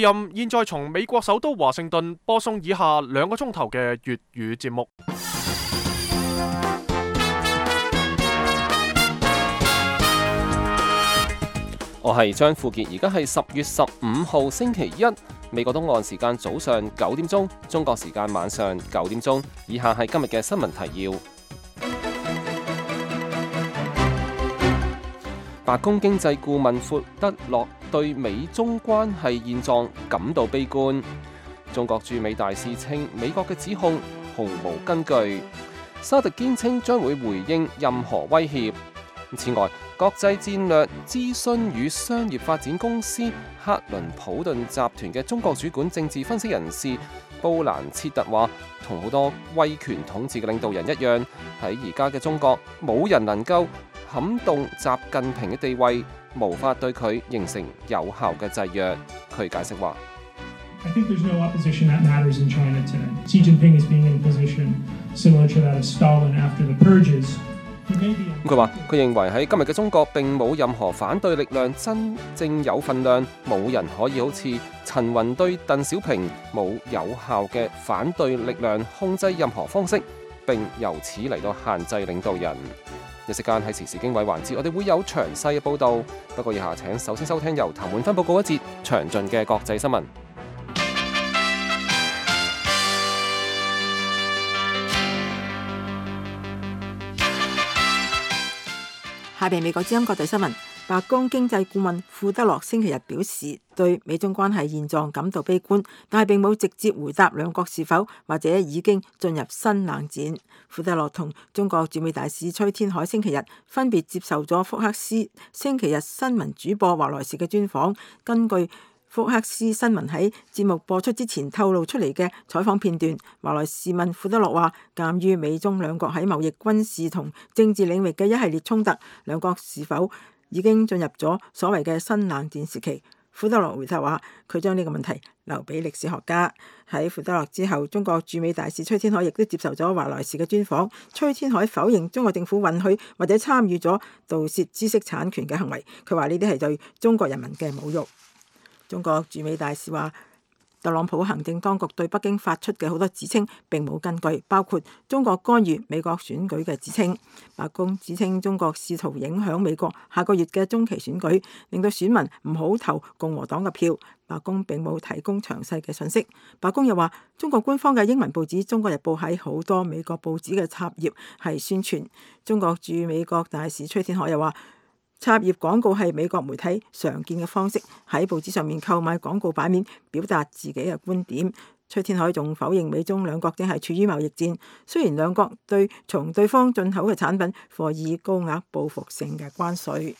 現在從美國首都華盛頓播送以下2個鐘頭嘅粵語節目。我係張富傑，而家係10月15號星期一，美國東岸時間早上9點鐘，中國時間晚上9點鐘。以下係今日嘅新聞提要。白宮經濟顧問庫德洛對美中關係現狀感到悲觀。中國駐美大使稱美國嘅指控毫無根據。沙特堅稱將會回應任何威脅。此外，國際戰略諮詢與商業發展公司克倫普頓集團嘅中國主管政治分析人士布蘭切特話，同好多威權統治嘅領導人一樣，喺而家嘅中國，冇人能夠撼動習近平嘅地位，無法對佢形成有效嘅制約。佢解釋話：I think there's no opposition that matters in China today. Xi Jinping is being in a position similar to that of Stalin after the purges. 佢話：佢認為喺今日嘅中國並冇任何反對力量真正有份量，冇人可以好似陳雲對鄧小平冇有效嘅反對力量控制任何方式，並由此嚟到限制領導人。一時間喺時事經緯環節，我哋會有詳細嘅報導。不過以下請首先收聽由譚滿芬報告一節詳盡嘅國際新聞。下邊美國之音國際新聞，白宮經濟顧問庫德洛星期日表示，對美中關係現狀感到悲觀，但係並冇直接回答兩國是否或者已經進入新冷戰。庫德洛同中國駐美大使崔天凱星期日分別接受咗福克斯星期日新聞主播華萊士嘅專訪。根據福克斯新聞喺節目播出之前透露出嚟嘅採訪片段，華萊士問庫德洛話：鑑於美中兩國喺貿易、軍事同政治領域嘅一系列衝突，兩國是否已經進入咗所謂嘅新冷戰時期？庫德洛回答話：佢將呢個問題留俾歷史學家。喺庫德洛之後，中國駐美大使崔天凱亦都接受咗華萊士嘅專訪。崔天凱否認中國政府允許或者參與咗盜竊知識產權嘅行為，佢話呢啲係對中國人民嘅侮辱。中國駐美大使話，特朗普行政當局對北京發出嘅好多指稱並冇根據，包括中國干預美國選舉嘅指稱。白宮指稱中國試圖影響美國下個月嘅中期選舉，令到選民唔好投共和黨嘅票。白宮並冇提供詳細嘅信息。白宮又話，中國官方嘅英文報紙《中國日報》喺好多美國報紙嘅插頁係宣傳。中國駐美國大使崔天凱又話，插頁廣告係美國媒體常見嘅方式，喺報紙上面購買廣告版面，表達自己嘅觀點。崔天凱仲否認美中兩國正係處於貿易戰，雖然兩國從對方進口嘅產品課以高額報復性嘅關稅。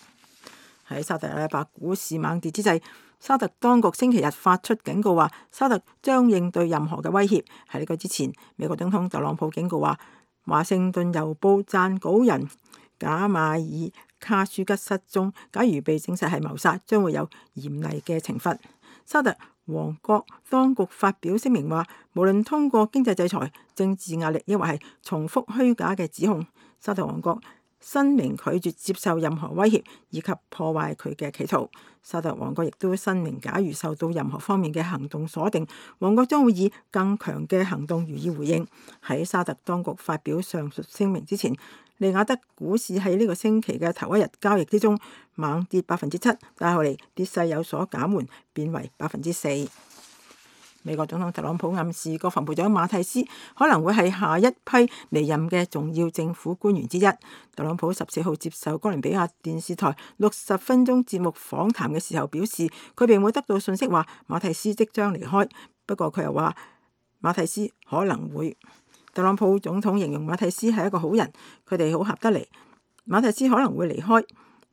喺沙特阿拉伯股市猛跌之際，沙特當局星期日發出警告話，沙特將應對任何嘅威脅。喺呢個之前，美國總統特朗普警告話，華盛頓郵報撰稿人賈馬爾卡舒吉失蹤，假如被證實係謀殺，將會有嚴厲嘅懲罰。沙特王國當局發表聲明話，無論通過經濟制裁、政治壓力，抑或係重複虛假嘅指控，沙特王國申明拒絕接受任何威脅以及破壞佢嘅企圖。沙特王國亦都申明，假如受到任何方面嘅行動鎖定，王國將會以更強嘅行動予以回應。喺沙特當局發表上述聲明之前，利雅得股市喺呢個星期嘅頭一日交易之中猛跌7%，但係後嚟跌勢有所減緩，變為4%。美國總統特朗普暗示國防部長馬蒂斯可能會係下一批離任嘅重要政府官員之一。特朗普14號接受哥倫比亞電視台60分鐘節目訪談嘅時候表示，佢並冇得到信息話馬蒂斯即將離開，不過佢又話馬蒂斯可能會。特朗普總統形容馬蒂斯係一個好人，佢哋好合得嚟。馬蒂斯可能會離開，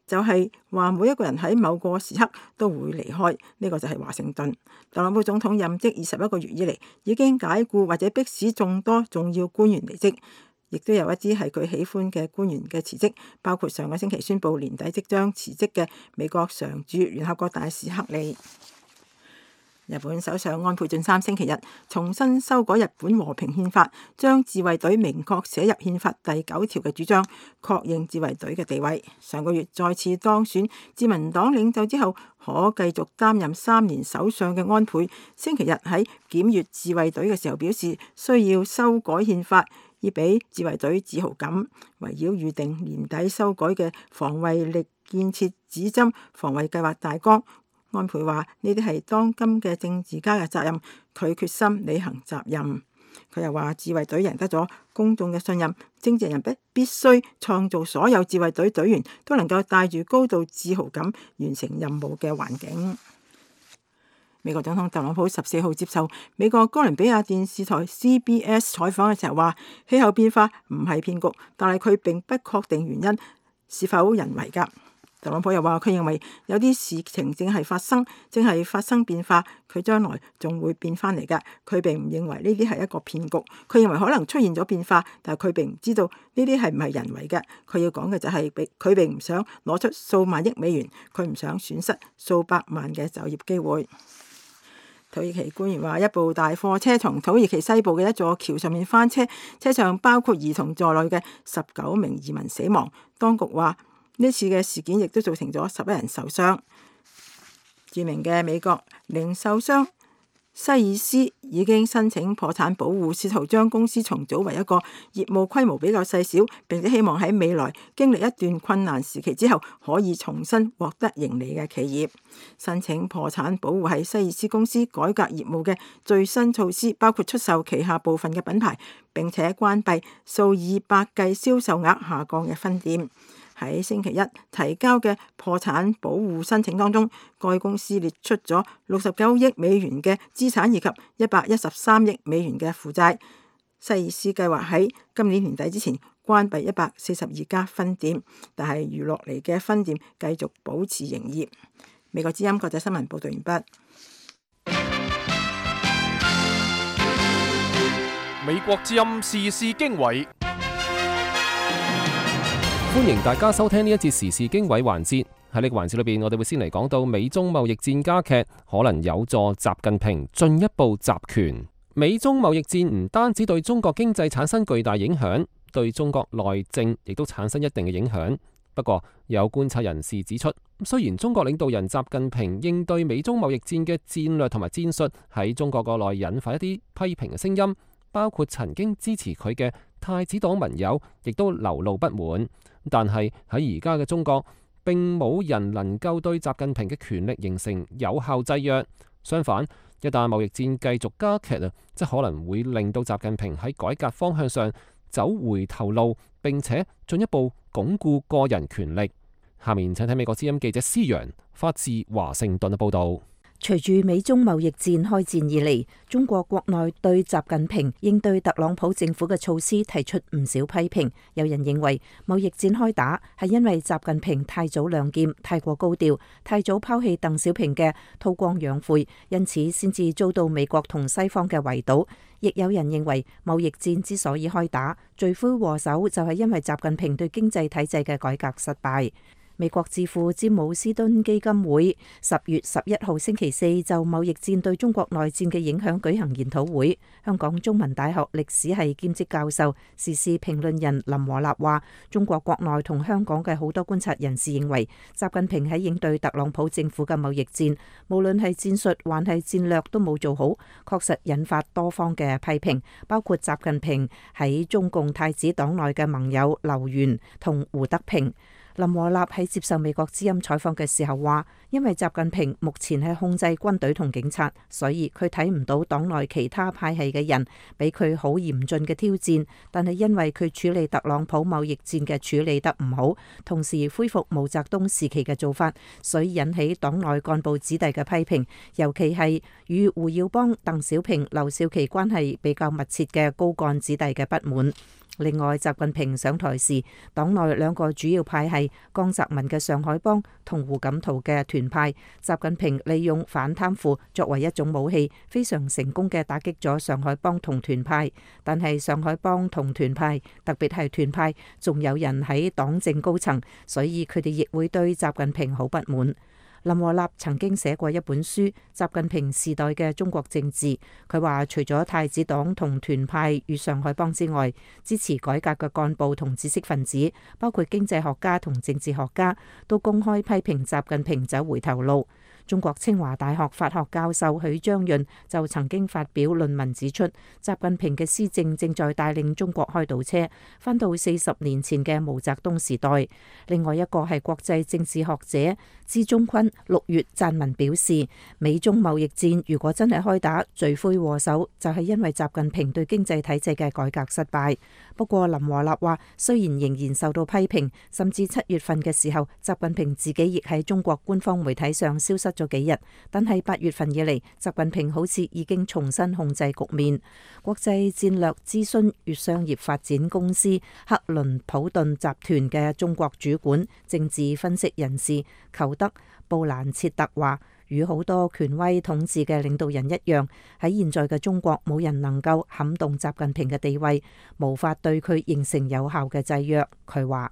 就係話每一個人喺某個時刻都會離開，呢個就係華盛頓。特朗普總統任職21個月以嚟，已經解僱或者迫使眾多重要官員離職，亦都有一啲係佢喜歡嘅官員嘅辭職，包括上個星期宣布年底即將辭職嘅美國常駐聯合國大使克利。日本首相安倍晉三星期日重新修改日本和平憲法，將自衛隊明確寫入憲法第9條嘅主張，確認自衛隊嘅地位。上個月再次當選自民黨領袖之後，可繼續擔任3年首相嘅安倍，星期日喺檢閱自衛隊嘅時候表示，需要修改憲法，以俾自衛隊自豪感。圍繞預定年底修改嘅防衛力建設指針防衛計劃大綱，安倍話呢啲係當今嘅政治家嘅責任，佢決心履行責任。佢又話自衛隊贏得咗公眾嘅信任，政治人必須創造所有自衛隊隊員都能夠帶住高度自豪感完成任務嘅環境。美國總統特朗普14號接受美國哥倫比亞電視台 CBS 採訪嘅時候話，氣候變化唔係騙局，但係佢並不確定原因是否人為㗎。特朗普又話，佢認為有啲事情正係發生變化，佢將來仲會變翻嚟㗎。佢並唔認為呢啲係一個騙局，佢認為可能出現咗變化，但係佢並唔知道呢啲係唔係人為嘅。佢要講嘅就係佢並唔想攞出數萬億美元，佢唔想損失數百萬嘅就業機會。土耳其官員話，一部大貨車從土耳其西部嘅一座橋上面翻車，車上包括兒童在內嘅19名移民死亡。當局話呢次嘅事件亦都造成咗11人受傷。著名嘅美國零售商西爾斯已經申請破產保護，試圖將公司重組為一個業務規模比較細小，並且希望喺未來經歷一段困難時期之後，可以重新獲得盈利嘅企業。申請破產保護係西爾斯公司改革業務嘅最新措施，包括出售旗下部分嘅品牌，並且關閉數以百計銷售額下降嘅分店。喺星期一提交嘅破產保護申請當中，該公司列出咗69億美元嘅資產以及113億美元嘅負債。西爾斯計劃喺今年年底之前關閉142家分店，但係餘落嚟嘅分店繼續保持營業。美國之音國際新聞報道完畢。美國之音時事經緯。歡迎大家收聽呢一節時事經緯環節。喺呢個環節裏邊，我哋會先嚟講到美中貿易戰加劇，可能有助習近平進一步集權。美中貿易戰唔單止對中國經濟產生巨大影響，對中國內政亦都產生一定嘅影響。不過，有觀察人士指出，雖然中國領導人習近平應對美中貿易戰嘅戰略同埋戰術喺中國國內引發一啲批評嘅聲音，包括曾經支持佢嘅太子黨盟友亦都流露不滿。但係喺而家嘅中國，並冇人能夠對習近平嘅權力形成有效制約。相反，一旦貿易戰繼續加劇即可能會令到習近平喺改革方向上走回頭路，並且進一步鞏固個人權力。下面請睇美國之音記者施陽發自華盛頓嘅報道。隨住美中貿易戰開戰以嚟，中國國內對習近平應對特朗普政府嘅措施提出唔少批評。有人認為貿易戰開打係因為習近平太早亮劍、太過高調、太早拋棄鄧小平嘅韜光養晦，因此先至遭到美國同西方嘅圍堵。亦有人認為貿易戰之所以開打，罪魁禍首就係因為習近平對經濟體制嘅改革失敗。美國智庫詹姆斯敦基金會10月11號星期四就貿易戰對中國內戰嘅影響舉行研討會。香港中文大學歷史系兼職教授、時事評論人林和立話，中國國內同香港嘅好多觀察人士認為，習近平喺應對特朗普政府嘅貿易戰，無論係戰術還係戰略都冇做好，確實引發多方嘅批評，包括習近平喺中共太子黨內嘅盟友劉源同胡德平。林和立喺接受美國之音採訪嘅時候話，因為習近平目前係控制軍隊同警察，所以佢睇唔到黨內其他派系嘅人俾佢好嚴峻嘅挑戰。但係因為佢處理特朗普貿易戰嘅處理得唔好，同時恢復毛澤東時期嘅做法，所以引起黨內幹部子弟嘅批評，尤其係與胡耀邦、鄧小平、劉少奇關係比較密切嘅高幹子弟嘅不滿。另外，習近平上台時，黨內兩個主要派系江澤民嘅上海幫同胡錦濤嘅團派，習近平利用反貪腐作為一種武器，非常成功嘅打擊咗上海幫同團派。但係上海幫同團派，特別係團派，仲有人喺黨政高層，所以佢哋亦會對習近平好不滿。林和立曾經寫過一本書《習近平時代嘅中國政治》，佢話除咗太子黨同團派與上海幫之外，支持改革嘅幹部同知識分子，包括經濟學家同政治學家，都公開批評習近平走回頭路。中國清華大學法學教授許章潤就曾經發表論文指出，習近平嘅施政正在帶領中國開倒車，返到40年前嘅毛澤東時代。另外一個係國際政治學者支中坤6月撰文表示，美中貿易戰如果真係開打，罪魁禍首就係因為習近平對經濟體制嘅改革失敗。不過林和立話，雖然仍然受到批評，甚至7月份嘅時候，習近平自己亦喺中國官方媒體上消失咗幾日，但係8月份以嚟，習近平好似已經重新控制局面。國際戰略諮詢與商業發展公司克倫普頓集團嘅中國主管、政治分析人士裘德布蘭切特話，與好多權威統治嘅領導人一樣，喺現在嘅中國，冇人能夠撼動習近平嘅地位，無法對佢形成有效嘅制約。佢話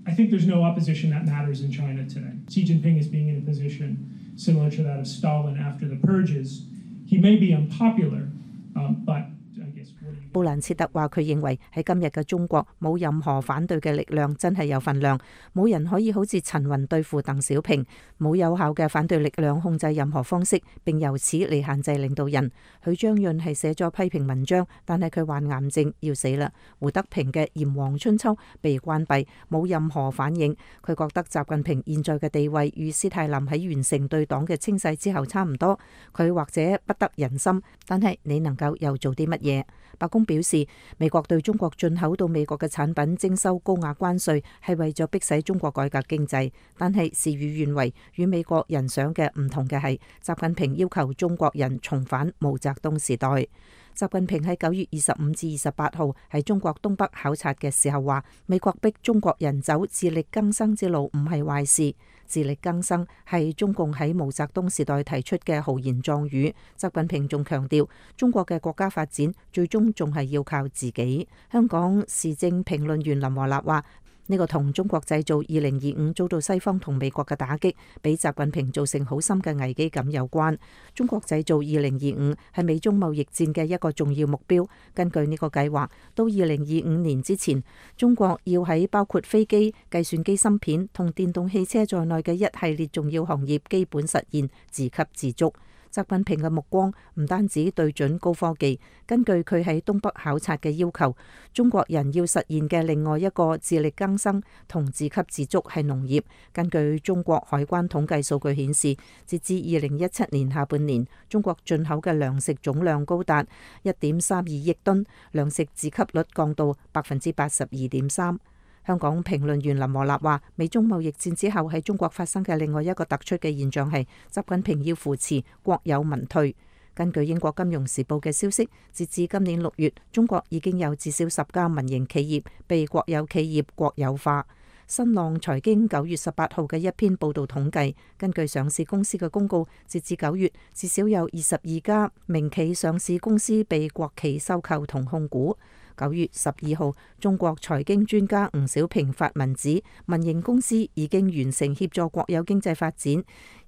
I think there's no opposition that matters in China today. Xi Jinping is being in a position similar to that of Stalin after the purges. He may be unpopular, but I guess what do you... 布蘭切特話：佢認為喺今日嘅中國，冇任何反對嘅力量真係有份量，冇人可以好似陳雲對付鄧小平，冇有效嘅反對力量控制任何方式，並由此嚟限制領導人。許章潤係寫咗批評文章，但係佢患癌症要死啦。胡德平嘅《炎黃春秋》被關閉，冇任何反應。佢覺得習近平現在嘅地位與斯大林喺完成對黨嘅清洗之後差唔多，佢或者不得人心，但係你能夠又做啲乜嘢？白宮表示，美國對中國進口到美國嘅產品徵收高額關稅，係為咗迫使中國改革經濟。但係事與願違，與美國人想嘅唔同嘅係，習近平要求中國人重返毛澤東時代。習近平喺9月25至28號喺中國東北考察嘅時候話，美國逼中國人走自力更生之路唔係壞事。自力更生係中共喺毛澤東時代提出嘅豪言壯語。習近平仲強調，中國嘅國家發展最終仲係要靠自己。香港時政評論員林和立話，呢個同中國製造2025遭到西方同美國嘅打擊，俾習近平造成好深嘅危機感有關。中國製造2025係美中貿易戰嘅一個重要目標。根據呢個計劃，到2025年之前，中國要喺包括飛機、計算機芯片同電動汽車在內嘅一系列重要行業基本實現自給自足。習近平嘅目光唔單止對準高科技，根據佢喺東北考察嘅要求，中國人要實現嘅另外一個自力更生同自給自足係農業。根據中國海關統計數據顯示，截至2017年下半年，中國進口嘅糧食總量高達1.32億噸，糧食自給率降到82.3%。香港評論員林和立話，美中貿易戰之後喺中國發生嘅另外一個突出嘅現象係，習近平要扶持國有民退。根據英國金融時報嘅消息，截至今年6月，中國已經有至少10家民營企業被國有企業國有化。新浪財經9月18號嘅一篇報導統計，根據上市公司嘅公告，截至9月，至少有22家民企上市公司被國企收購同控股。9月12號，中國財經專家吳小平發文指，民營公司已經完成協助國有經濟發展，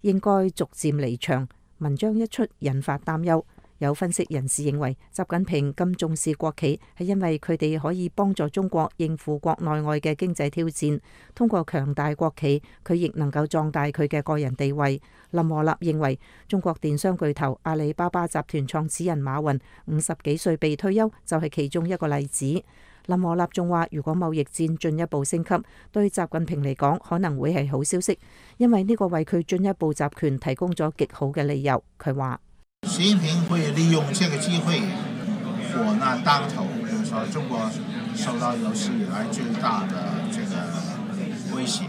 應該逐漸離場。文章一出，引發擔憂。有分析人士認為，習近平咁重視國企，係因為佢哋可以幫助中國應付國內外嘅經濟挑戰。通過強大國企，佢亦能夠壯大佢嘅個人地位。林和立認為，中國電商巨頭阿里巴巴集團創始人馬雲50幾歲被退休，就係其中一個例子。林和立仲話，如果貿易戰進一步升級，對習近平嚟講可能會係好消息，因為呢個為佢進一步集權提供咗極好嘅理由。佢話，習近平會利用這個機會，火難當頭，比如說中國受到有史以來最大的這個威脅。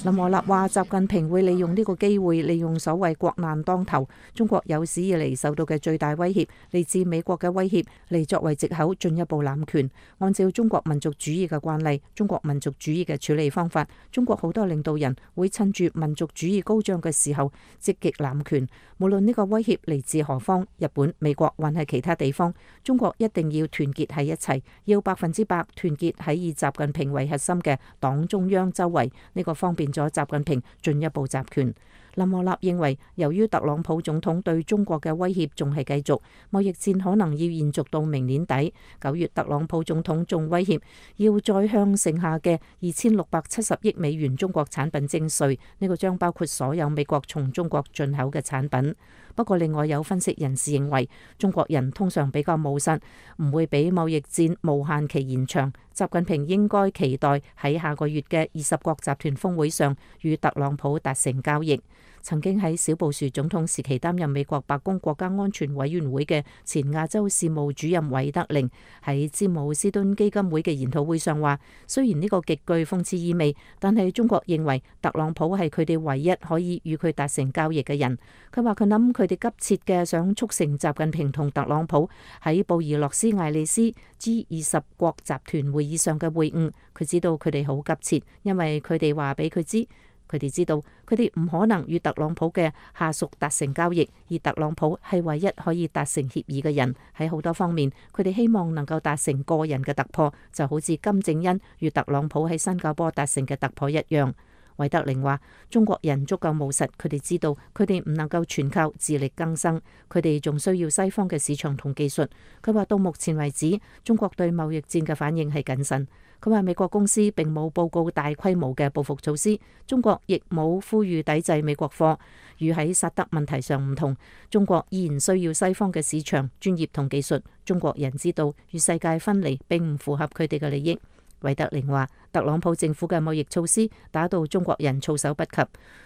林和立話，習近平會利用呢個機會，利用所謂國難當頭，中國有史以嚟受到嘅最大威脅嚟自美國嘅威脅，嚟作為藉口進一步攬權。按照中國民族主義嘅慣例，中國民族主義嘅處理方法，中國好多領導人會趁住民族主義高漲嘅時候積極攬權，無論呢個威脅嚟自何方，日本、美國還係其他地方，中國一定要團結喺一齊，要100%團結喺以習近平為核心嘅黨中央周圍，呢個方便咗習近平進一步集權。林和立認為，由於特朗普總統對中國嘅威脅仲係繼續，貿易戰可能要延續到明年底。9月，特朗普總統仲威脅要再向剩下嘅2670億美元中國產品徵稅，呢個將包括所有美國從中國進口嘅產品。不過，另外有分析人士認為，中國人通常比較務實，唔會俾貿易戰無限期延長。習近平應該期待喺下個月嘅20國集團峰會上與特朗普達成交易。曾經喺小布殊總統時期擔任美國白宮國家安全委員會嘅前亞洲事務主任韋德寧喺詹姆斯敦基金會嘅研討會上話，雖然呢個極具諷刺意味，但係中國認為特朗普係佢哋唯一可以與佢達成交易嘅人。佢話佢諗佢哋急切嘅想促成習近平同特朗普喺布宜諾斯艾利斯 G20 國集團會議上嘅會晤。佢知道佢哋好急切，因為佢哋話俾佢知。佢哋知道，佢哋唔可能與特朗普嘅下屬達成交易，而特朗普係唯一可以達成協議嘅人。喺好多方面，佢哋希望能夠達成個人嘅突破，就好似金正恩與特朗普喺新加坡達成嘅突破一樣。韋德寧話：中國人足夠務實，佢哋知道佢哋唔能夠全靠自力更生，佢哋仲需要西方嘅市場同技術。佢話到目前為止，中國對貿易戰嘅反應係謹慎。佢話美國公司並冇報告大規模嘅報復措施，中國亦冇呼籲抵制美國貨。與喺薩德問題上唔同，中國依然需要西方嘅市場、專業同技術。中國人知道與世界分離並唔符合佢哋嘅利益。韋德寧話：特朗普政府嘅貿易措施打到中國人措手不及。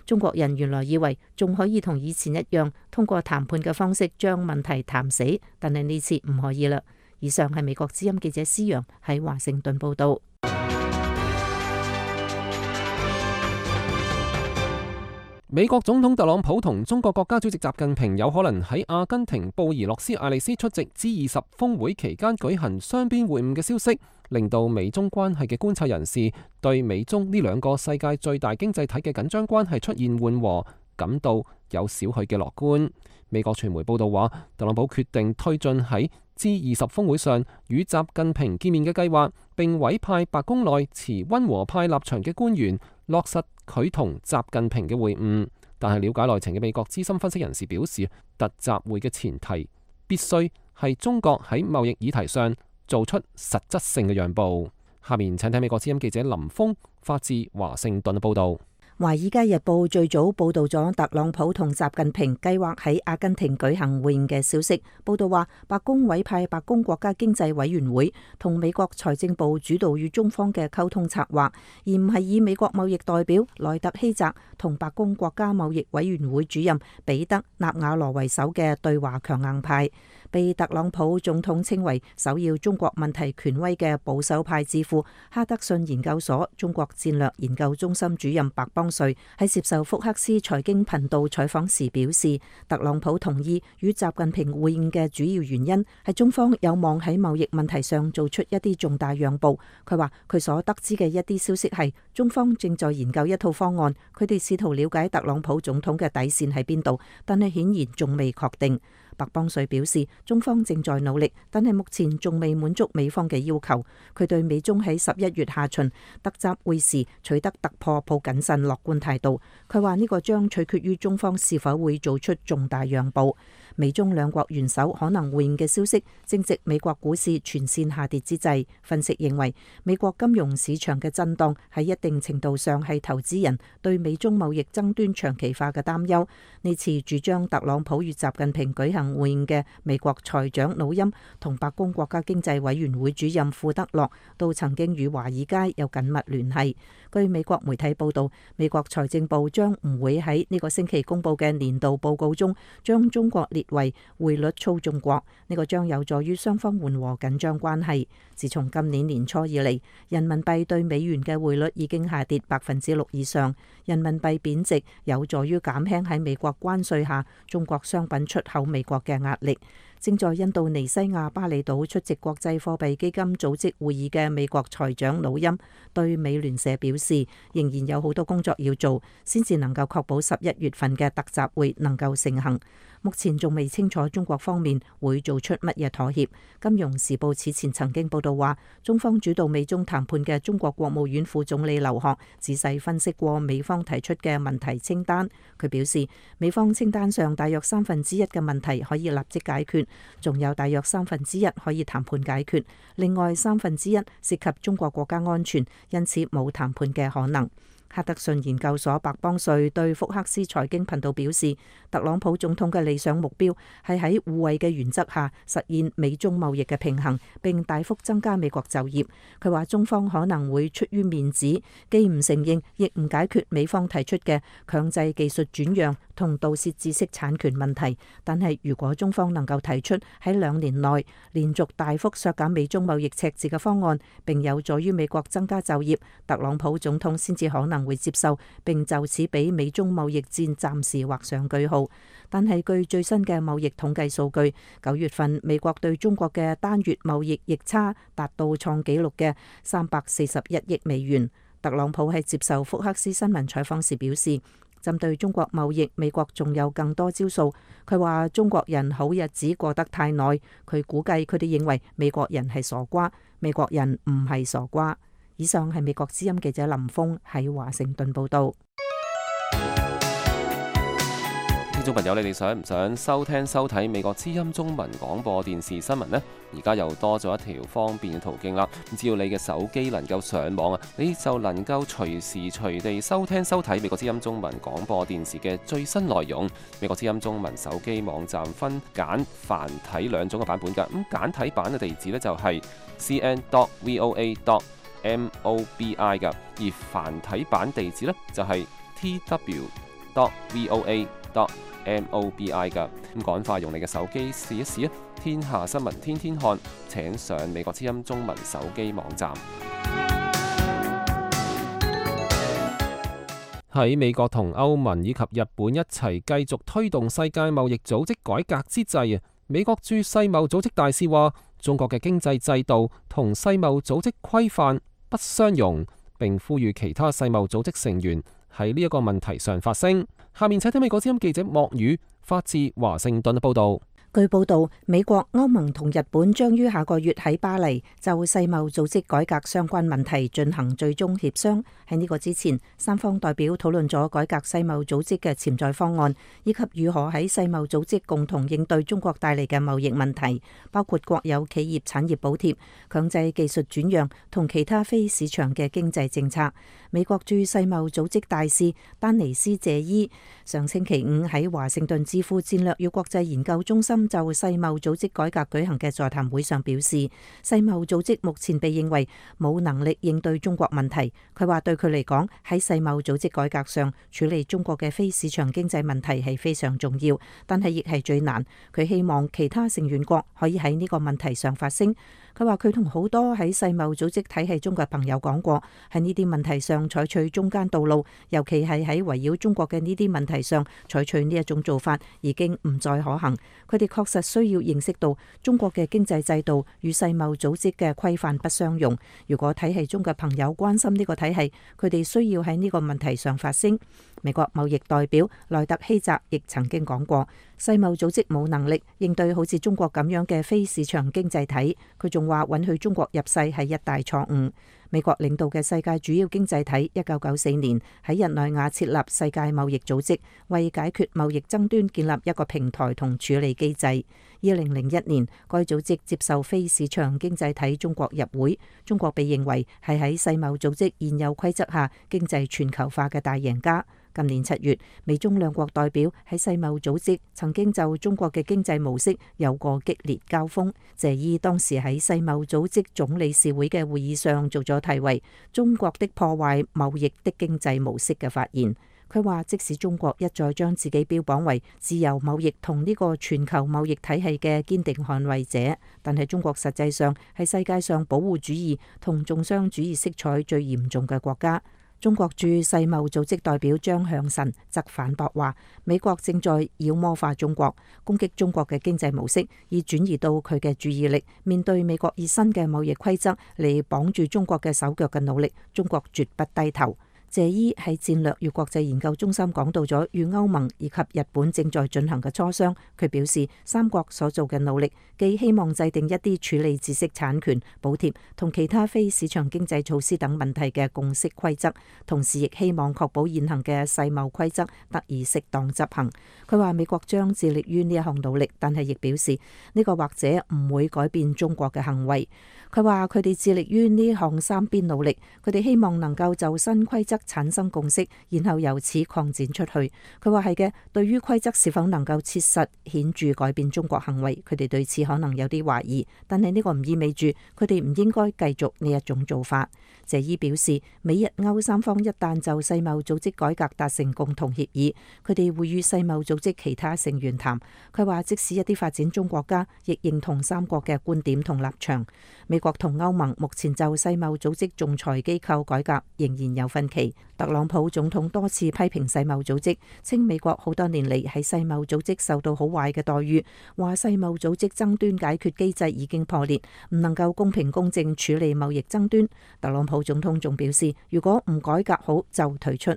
中國人原來以為仲可以同以前一樣，通過談判嘅方式將問題談死，但係呢次唔可以啦。以上係美國之音記者施洋喺華盛頓報道。美國總統特朗普同中國國家主席習近平有可能喺阿根廷布宜諾斯艾利斯出席 G20 峰會期間舉行雙邊會晤嘅消息，令到美中關係嘅觀察人士對美中呢兩個世界最大經濟體嘅緊張關係出現緩和感到有少許嘅樂觀。美國傳媒報道話，特朗普決定推進喺 G20 峰會上與習近平見面嘅計劃，並委派白宮內持溫和派立場嘅官員落實佢同習近平嘅會晤。但係了解內情嘅美國資深分析人士表示，特集會嘅前提必須係中國喺貿易議題上做出實質性嘅讓步。下面請睇美國之音記者林峰發自華盛頓嘅報道。《華爾街日報》最早報道咗特朗普同習近平計劃喺阿根廷舉行會晤嘅消息。報道話，白宮委派白宮國家經濟委員會同美國財政部主導與中方嘅溝通策劃，而唔係以美國貿易代表萊特希澤同白宮國家貿易委員會主任彼得納瓦羅為首嘅對華強硬派。被特朗普總統稱為首要中國問題權威嘅保守派智庫哈德遜研究所中國戰略研究中心主任白邦瑞喺接受福克斯財經頻道採訪時表示，特朗普同意與習近平會晤嘅主要原因係中方有望喺貿易問題上做出一啲重大讓步。佢話佢所得知嘅一啲消息係中方正在研究一套方案，佢哋試圖了解特朗普總統嘅底線喺邊度，但係顯然仲未確定。白邦瑞表示，中方正在努力，但係目前仲未滿足美方嘅要求。佢對美中喺11月下旬特集會時取得突破抱謹慎樂觀態度。佢話呢個將取決於中方是否會做出重大讓步。美中兩國元首可能會晤嘅消息正值美國股市全線下跌之際。分析認為，美國金融市場嘅震盪喺一定程度上係投資人對美中貿易爭端長期化嘅擔憂。呢次主張特朗普與習近平舉行會晤嘅美國財長努欽同白宮國家經濟委員會主任庫德洛都曾經與華爾街有緊密聯繫。據美國媒體報道，美國財政部將唔會喺呢個星期公布嘅年度報告中將中國列為匯率操縱國，呢個將有助於雙方緩和緊張關係。自從今年年初以嚟，人民幣對美元嘅匯率已經下跌6%以上，人民幣貶值有助於減輕喺美國關稅下中國商品出口美國嘅壓力。正在印度尼西亞巴厘島出席國際貨幣基金組織會議嘅美國財長努欽對美聯社表示，仍然有好多工作要做，先至能夠確保11月份嘅特集會能夠成行。目前仲未清楚中國方面會做出乜嘢妥協。金融時報此前曾經報道話，中方主導美中談判嘅中國國務院副總理劉鶴仔細分析過美方提出嘅問題清單。佢表示，美方清單上大約1/3嘅問題可以立即解決，仲有大約1/3可以談判解決，另外1/3涉及中國國家安全，因此冇談判嘅可能。哈德遜研究所白邦瑞對福克斯財經頻道表示，特朗普總統嘅理想目標係喺互惠嘅原則下實現美中貿易嘅平衡，並大幅增加美國就業。佢話中方可能會出於面子，既唔承認亦唔解決美方提出嘅強制技術轉讓同盜竊知識產權問題，但係如果中方能夠提出喺2年內連續大幅削減美中貿易赤字嘅方案，並有助於美國增加就業，特朗普總統先至可能會接受，並就此俾美中貿易戰暫時畫上句號。但係據最新嘅貿易統計數據，9月份美國對中國嘅單月貿易逆差達到創紀錄嘅341億美元。特朗普喺接受福克斯新聞採訪時表示，針對中國貿易，美國仲有更多招數。佢話中國人好日子過得太耐，佢估計佢哋認為美國人係傻瓜，美國人唔係傻瓜。以上係美國之音記者林峰喺華盛頓報道。聽眾朋友，你哋想唔想收聽收睇美國之音中文廣播電視新聞呢？而家又多咗一條方便嘅途徑啦。只要你嘅手機能夠上網啊，你就能夠隨時隨地收聽收睇美國之音中文廣播電視嘅最新內容。美國之音中文手機網站分簡繁體2種嘅版本㗎。咁簡體版嘅地址呢，就係 cn.voa.mobi 㗎，而繁體版地址呢，就係 tw.voa.mobi 噶。咁趕快用你嘅手機試一試啊！天下新聞天天看，請上美國之音中文手機網站。喺美國同歐盟以及日本一齊繼續推動世界貿易組織改革之際啊，美國駐世貿組織大使話，中國嘅經濟制度同世貿組織規範不相容，並呼籲其他世貿組織成員喺呢一個問題上發聲。下面請聽美國之音記者莫宇發自華盛頓嘅報道。據報道，美國、歐盟同日本將於下個月喺巴黎就世貿組織改革相關問題進行最終協商。喺呢個之前，三方代表討論咗改革世貿組織嘅潛在方案，以及如何喺世貿組織共同應對中國帶嚟嘅貿易問題，包括國有企業產業補貼、強制技術轉讓同其他非市場嘅經濟政策。美國駐世貿組織大使丹尼斯謝伊上星期五喺華盛頓智庫戰略與國際研究中心就世貿組織改革舉行嘅座談會上表示，世貿組織目前被認為冇能力應對中國問題。佢話對佢嚟講，喺世貿組織改革上處理中國嘅非市場經濟問題係非常重要，但係亦係最難。佢希望其他成員國可以喺呢個問題上發聲。佢話佢同好多喺世貿組織體系中嘅朋友講過，喺呢啲問題上採取中間道路，尤其係喺圍繞中國嘅呢啲問題上採取呢一種做法已經唔再可行。佢哋確實需要認識到中國嘅經濟制度與世貿組織嘅規範不相容。如果體系中嘅朋友關心呢個體系，佢哋需要喺呢個問題上發聲。美國貿易代表萊特希澤亦曾經講過，世貿組織冇能力應對好似中國咁樣嘅非市場經濟體。佢仲話允許中國入世係一大錯誤。美國領導嘅世界主要經濟體1994年喺日內瓦設立世界貿易組織，為解決貿易爭端建立一個平台同處理機制。2001年，該組織接受非市場經濟體中國入會，中國被認為係喺世貿組織現有規則下經濟全球化嘅大贏家。今年7月，美中兩國代表喺世貿組織曾經就中國嘅經濟模式有過激烈交鋒。謝伊當時喺世貿組織總理事會嘅會議上做咗題為《中國的破壞貿易的經濟模式》嘅發言。佢話，即使中國一再將自己標榜為自由貿易同呢個全球貿易體系嘅堅定捍衛者，但係中國實際上係世界上保護主義同重商主義色彩最嚴重嘅國家。中國駐世貿組織代表張向晨則反駁話，美國正在妖魔化中國，攻擊中國嘅經濟模式，以轉移到佢嘅注意力。面對美國以新嘅貿易規則嚟綁住中國嘅手腳嘅努力，中國絕不低頭。謝伊喺戰略與國際研究中心講到咗與歐盟以及日本正在進行嘅磋商。佢表示，三國所做嘅努力，既希望制定一啲處理知識產權、補貼同其他非市場經濟措施等問題嘅共識規則，同時亦希望確保現行嘅世貿規則得以適當執行。佢話美國將致力於呢一項努力，但係亦表示呢個或者唔會改變中國嘅行為。佢話佢哋致力於呢項三邊努力，佢哋希望能夠就新規則產生共識，然後由此擴展出去。佢話係嘅，對於規則是否能夠切實顯著改變中國行為，佢哋對此可能有啲懷疑，但係呢個唔意味住佢哋唔應該繼續呢一種做法。謝伊表示，美日歐三方一旦就世貿組織改革達成共同協議，佢哋會與世貿組織其他成員談。佢話即使一啲發展中國家亦認同三國嘅觀點同立場。美國同歐盟目前就世貿組織仲裁機構改革仍然有分歧。特朗普總統多次批評世貿組織，稱美國好多年嚟喺世貿組織受到好壞嘅待遇，話世貿組織爭端解決機制已經破裂，唔能夠公平公正處理貿易爭端。特朗普總統仲表示，如果唔改革好就退出。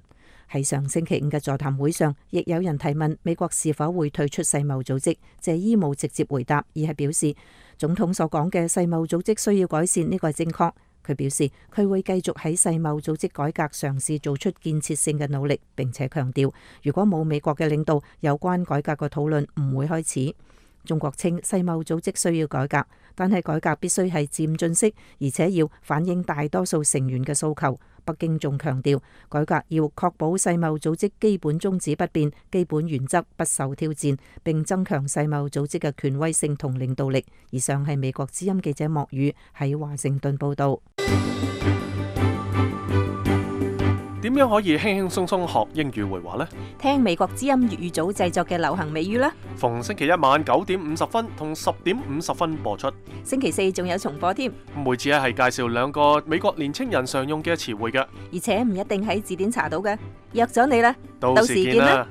喺上星期五嘅座談會上，亦有人提問美國是否會退出世貿組織，謝伊冇直接回答，而係表示總統所講嘅世貿組織需要改善，呢個係正確。佢表示佢會繼續喺世貿組織改革嘗試做出建設性嘅努力，並且強調如果冇美國嘅領導，有關改革嘅討論唔會開始。中國稱世貿組織需要改革，但係改革必須係漸進式，而且要反映大多數成員嘅訴求。北京仲強調改革要確保世貿組織基本宗旨不變，基本原則不受挑戰，並增強世貿組織嘅權威性同領導力。以上係美國之音記者莫宇喺華盛頓報道。點樣可以輕輕鬆鬆學英語會話呢？聽美國之音粵語組製作嘅流行美語啦。逢星期一晚9:50同10:50播出。星期四仲有重播添。每次係介紹兩個美國年青人常用嘅詞彙嘅，而且唔一定喺字典查到嘅。約咗你啦，到時見啦。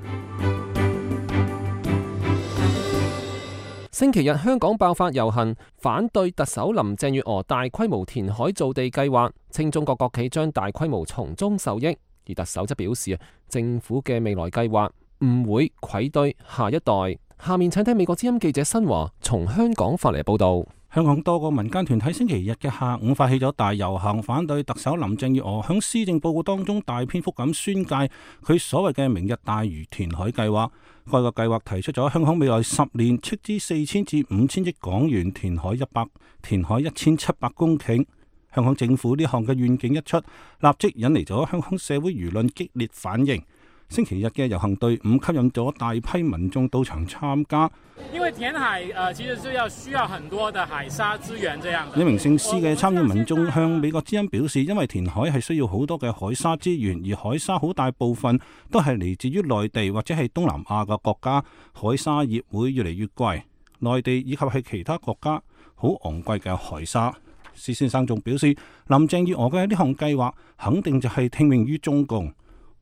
星期日香港爆發遊行，反對特首林鄭月娥大規模填海造地計劃，稱中國國企將大規模從中受益。而特首則表示，政府嘅未來計劃唔會愧對下一代。下面請聽美國之音記者新華從香港發嚟報道。香港多個民間團體星期日嘅下午發起咗大遊行，反對特首林鄭月娥響施政報告當中大篇幅咁宣介佢所謂嘅明日大嶼填海計劃。該個計劃提出咗香港未來10年斥資4000至5000億港元填海1700公頃。香港政府呢項嘅願景一出，立即引嚟咗香港社會輿論激烈反應。星期日嘅遊行隊伍吸引咗大批民眾到場參加。因為填海其實是需要很多的海沙資源，這樣。一名姓施嘅參與民眾向美國之音表示，因為填海係需要好多嘅海沙資源，而海沙好大部分都係嚟自於內地或者係東南亞嘅國家，海沙業會越嚟越貴。內地以及係其他國家好昂貴嘅海沙。施先生仲表示，林鄭月娥嘅呢項計劃肯定就係聽命於中共。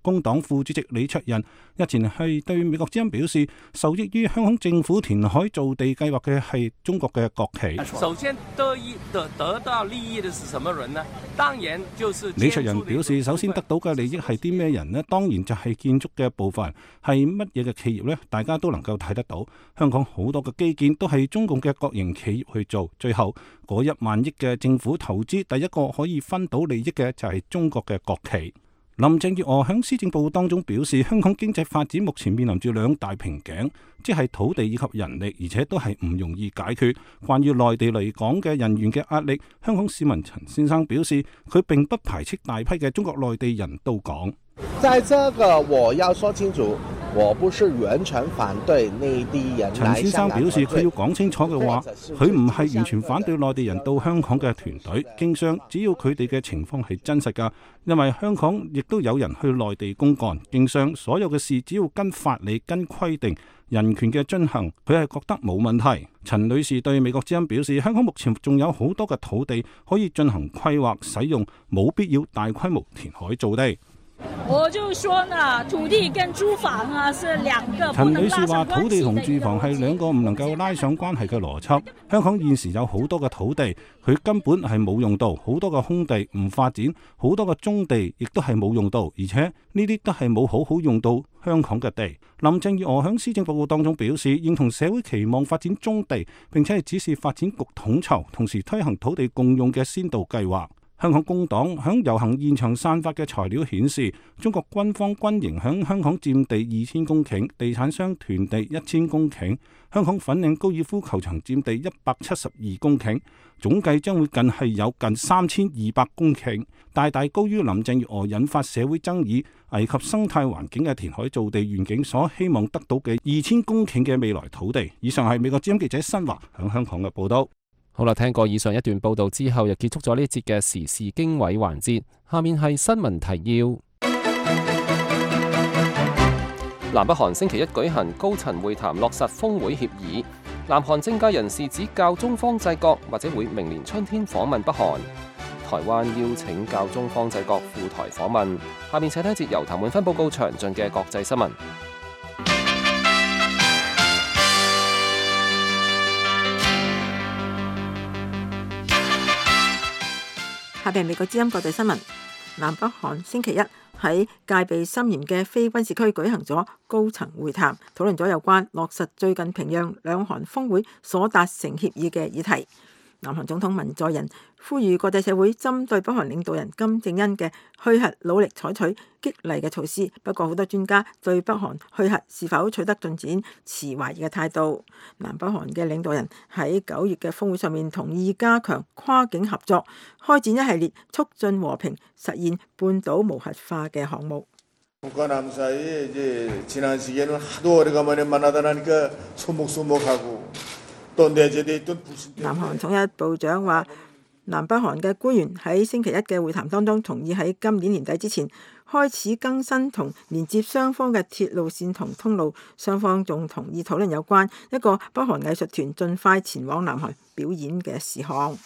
工黨副主席李卓人日前係對美國之音表示，受益於香港政府填海造地計劃嘅係中國嘅國企。首先得到利益的是什麼人呢？當然就是李卓人表示，首先得到嘅利益係啲咩人呢？當然就係建築嘅部分，係乜嘢嘅企業呢？大家都能夠睇得到，香港好多嘅基建都係中共嘅國營企業去做，最後嗰1萬億嘅政府投資，第一個可以分到利益嘅就係中國嘅國企。林鄭月娥喺施政報告當中表示，香港經濟發展目前面臨住2大瓶頸，即係土地以及人力，而且都係唔容易解決。關於內地嚟港嘅人員嘅壓力，香港市民陳先生表示，佢並不排斥大批嘅中國內地人到港。在這個我要說清楚，我不是完全反對內地人。陳先生表示，佢要講清楚嘅話，佢唔係完全反對內地人到香港嘅團隊經商，只要佢哋嘅情況係真實㗎。因為香港亦都有人去內地公幹經商，所有嘅事只要跟法理、跟規定、人權嘅遵行，佢係覺得冇問題。陳女士對美國之音表示，香港目前仲有好多嘅土地可以進行規劃使用，冇必要大規模填海造地。我就說呢，土地跟住房啊是兩個陳女士話：土地同住房係兩個唔能夠拉上關係嘅邏輯。香港現時有好多嘅土地，佢根本係冇用到；好多嘅空地唔發展，好多嘅棕地亦都係冇用到，而且呢啲都係冇好好用到香港嘅地。林鄭月娥喺施政報告當中表示，認同社會期望發展棕地，並且係指示發展局統籌，同時推行土地共用嘅先導計劃。香港工黨響遊行現場散發嘅材料顯示，中國軍方軍營響香港佔地2000公頃，地產商囤地1000公頃，香港粉嶺高爾夫球場佔地172公頃，總計將會有近3200公頃，大大高於林鄭月娥引發社會爭議、危及生態環境嘅填海造地願景所希望得到嘅2000公頃嘅未來土地。以上係美國之音記者新華響香港嘅報道。好啦，聽過以上一段報道之後，又結束咗呢節嘅時事經緯環節。下面係新聞提要。南北韓星期一舉行高層會談，落實峰會協議。南韓政界人士指教宗方濟各或者會明年春天訪問北韓。台灣邀請教宗方濟各赴台訪問。下面請聽一節由譚滿芬報告詳盡嘅國際新聞。下邊美國之音國際新聞。南北韓星期一喺戒備森嚴嘅非軍事區舉行咗高層會談，討論咗有關落實最近平壤兩韓峰會所達成協議嘅議題。南韓總統文在寅呼籲國際社會針對北韓領導人金正恩嘅去核努力採取激勵嘅措施。不過好多專家對北韓去核是否取得進展持懷疑嘅態度。南北韓嘅領導人喺9月嘅峰會上面同意加強跨境合作，開展一系列促進和平、實現半島無核化嘅項目。南韓統一部長話，南北韓嘅官員喺星期一嘅會談當中同意喺今年年底之前開始更新同連接雙方嘅鐵路線同通路。雙方仲同意討論有關一個北韓藝術團盡快前往南韓表演嘅事項。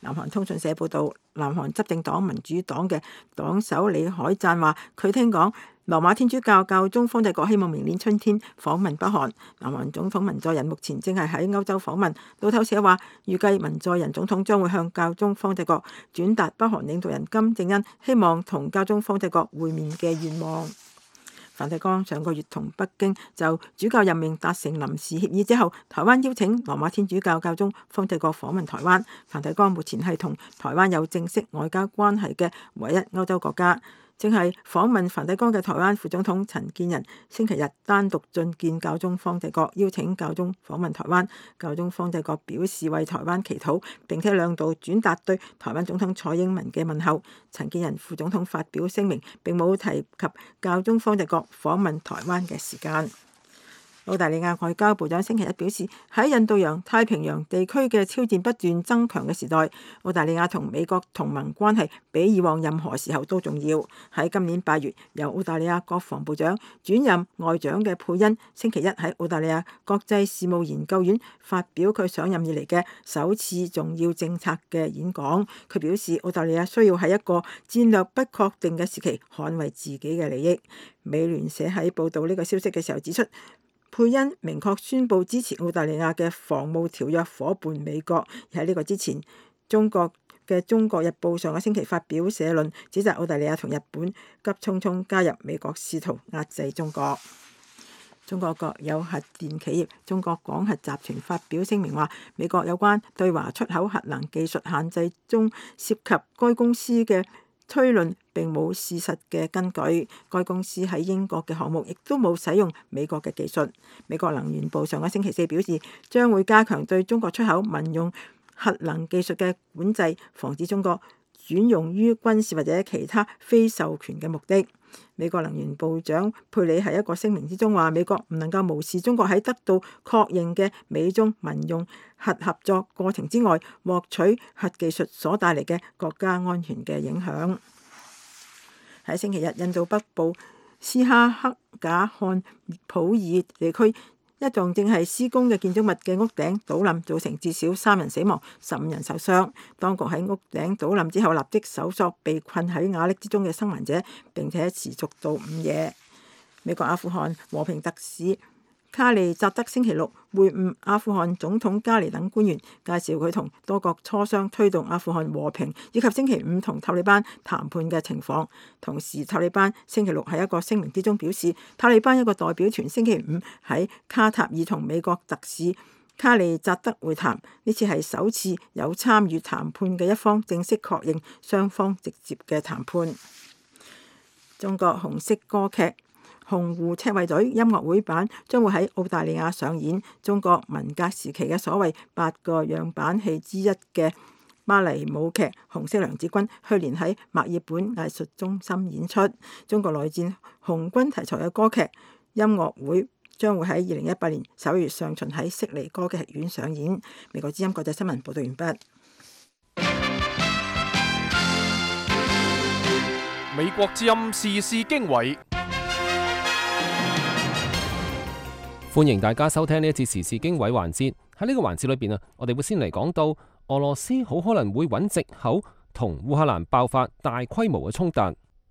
南韓通訊社報導，南韓執政黨民主黨嘅黨首李海贊話，佢聽講羅馬天主教教宗方濟各希望明年春天訪問北韓。南韓總統文在寅目前正係喺歐洲訪問。路透社話，預計文在寅總統將會向教宗方濟各轉達北韓領導人金正恩希望同教宗方濟各會面嘅願望。梵蒂岡上個月同北京就主教任命達成臨時協議之後，台灣邀請羅馬天主教教宗方濟各訪問台灣。梵蒂岡目前係同台灣有正式外交關係嘅唯一歐洲國家。正係訪問梵蒂岡嘅台灣副總統陳建仁星期日單獨進見教宗方濟各，邀請教宗訪問台灣。教宗方濟各表示為台灣祈禱，並且兩度轉達對台灣總統蔡英文嘅問候。陳建仁副總統發表聲明，並冇提及教宗方濟各訪問台灣嘅時間。澳大利亞外交部長星期一表示，喺印度洋太平洋地區嘅挑戰不斷增強嘅時代，澳大利亞同美國同盟關係比以往任何時候都重要。喺今年8月，由澳大利亞國防部長轉任外長嘅佩恩，星期一喺澳大利亞國際事務研究院發表佢上任以嚟嘅首次重要政策嘅演講。佢表示，澳大利亞需要喺一個戰略不確定嘅時期捍衛自己嘅利益。美聯社喺報導呢個消息嘅時候指出，佩恩明確宣布支持澳大利亞嘅防務條約夥伴美國。而喺呢個之前，中國嘅《中國日報》上個星期發表社論，指責澳大利亞同日本急匆匆加入美國，試圖壓制中國。中國國有核電企業中國廣核集團發表聲明話，美國有關對華出口核能技術限制中涉及該公司嘅推論並冇事實嘅根據。該公司喺英國嘅項目亦都冇使用美國嘅技術。美國能源部上個星期4表示，將會加強對中國出口民用核能技術嘅管制，防止中國轉用於軍事或者其他非授權嘅目的。美國能源部長佩里喺一個聲明之中話，美國唔能夠無視中國喺得到確認嘅美中民用核合作過程之外獲取核技術所帶嚟嘅國家安全嘅影響。喺星期日，印度北部斯哈克賈漢普爾地區一棟正係施工嘅建築物嘅屋頂倒冧，造成至少3人死亡、15人受傷。當局喺屋頂倒冧之後，立即搜索被困喺瓦礫之中嘅生還者，並且持續到午夜。美國阿富汗和平特使卡利扎德星期六會晤阿富汗總統加尼等官員，介紹佢同多國磋商推動阿富汗和平，以及星期五同塔利班談判嘅情況。同時，塔利班星期六喺一個聲明之中表示，塔利班一個代表團星期五喺卡塔爾同美國特使卡利扎德會談，呢次係首次有參與談判嘅一方正式確認雙方直接嘅談判。中國紅色歌劇紅湖赤衛隊音樂會版將會喺澳大利亞上演中國文革時期嘅所謂8個樣板戲之一嘅芭蕾舞劇《紅色娘子軍》，去年喺墨爾本藝術中心演出。中國內戰紅軍題材嘅歌劇音樂會將會喺2018年11月上旬喺悉尼歌劇院上演。美國之音國際新聞報道完畢。美國之音時事經緯。歡迎大家收聽呢一節時事經緯環節。喺呢個環節裏邊我哋會先嚟講到俄羅斯好可能會揾藉口同烏克蘭爆發大規模嘅衝突。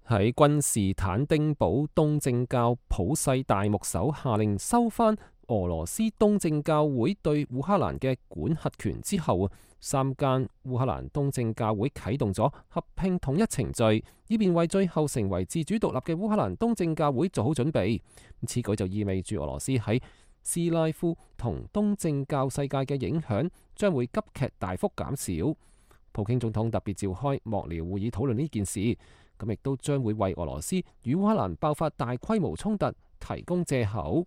喺君士坦丁堡東正教普世大牧首下令收翻俄羅斯東正教會對烏克蘭嘅管轄權之後3間烏克蘭東正教會啟動咗合併統一程序，以便為最後成為自主獨立嘅烏克蘭東正教會做好準備。此舉就意味住俄羅斯喺斯拉夫同東正教世界嘅影響將會急劇大幅減少。普京總統特別召開幕僚會議討論呢件事，咁亦都將會為俄羅斯與烏克蘭爆發大規模衝突提供藉口。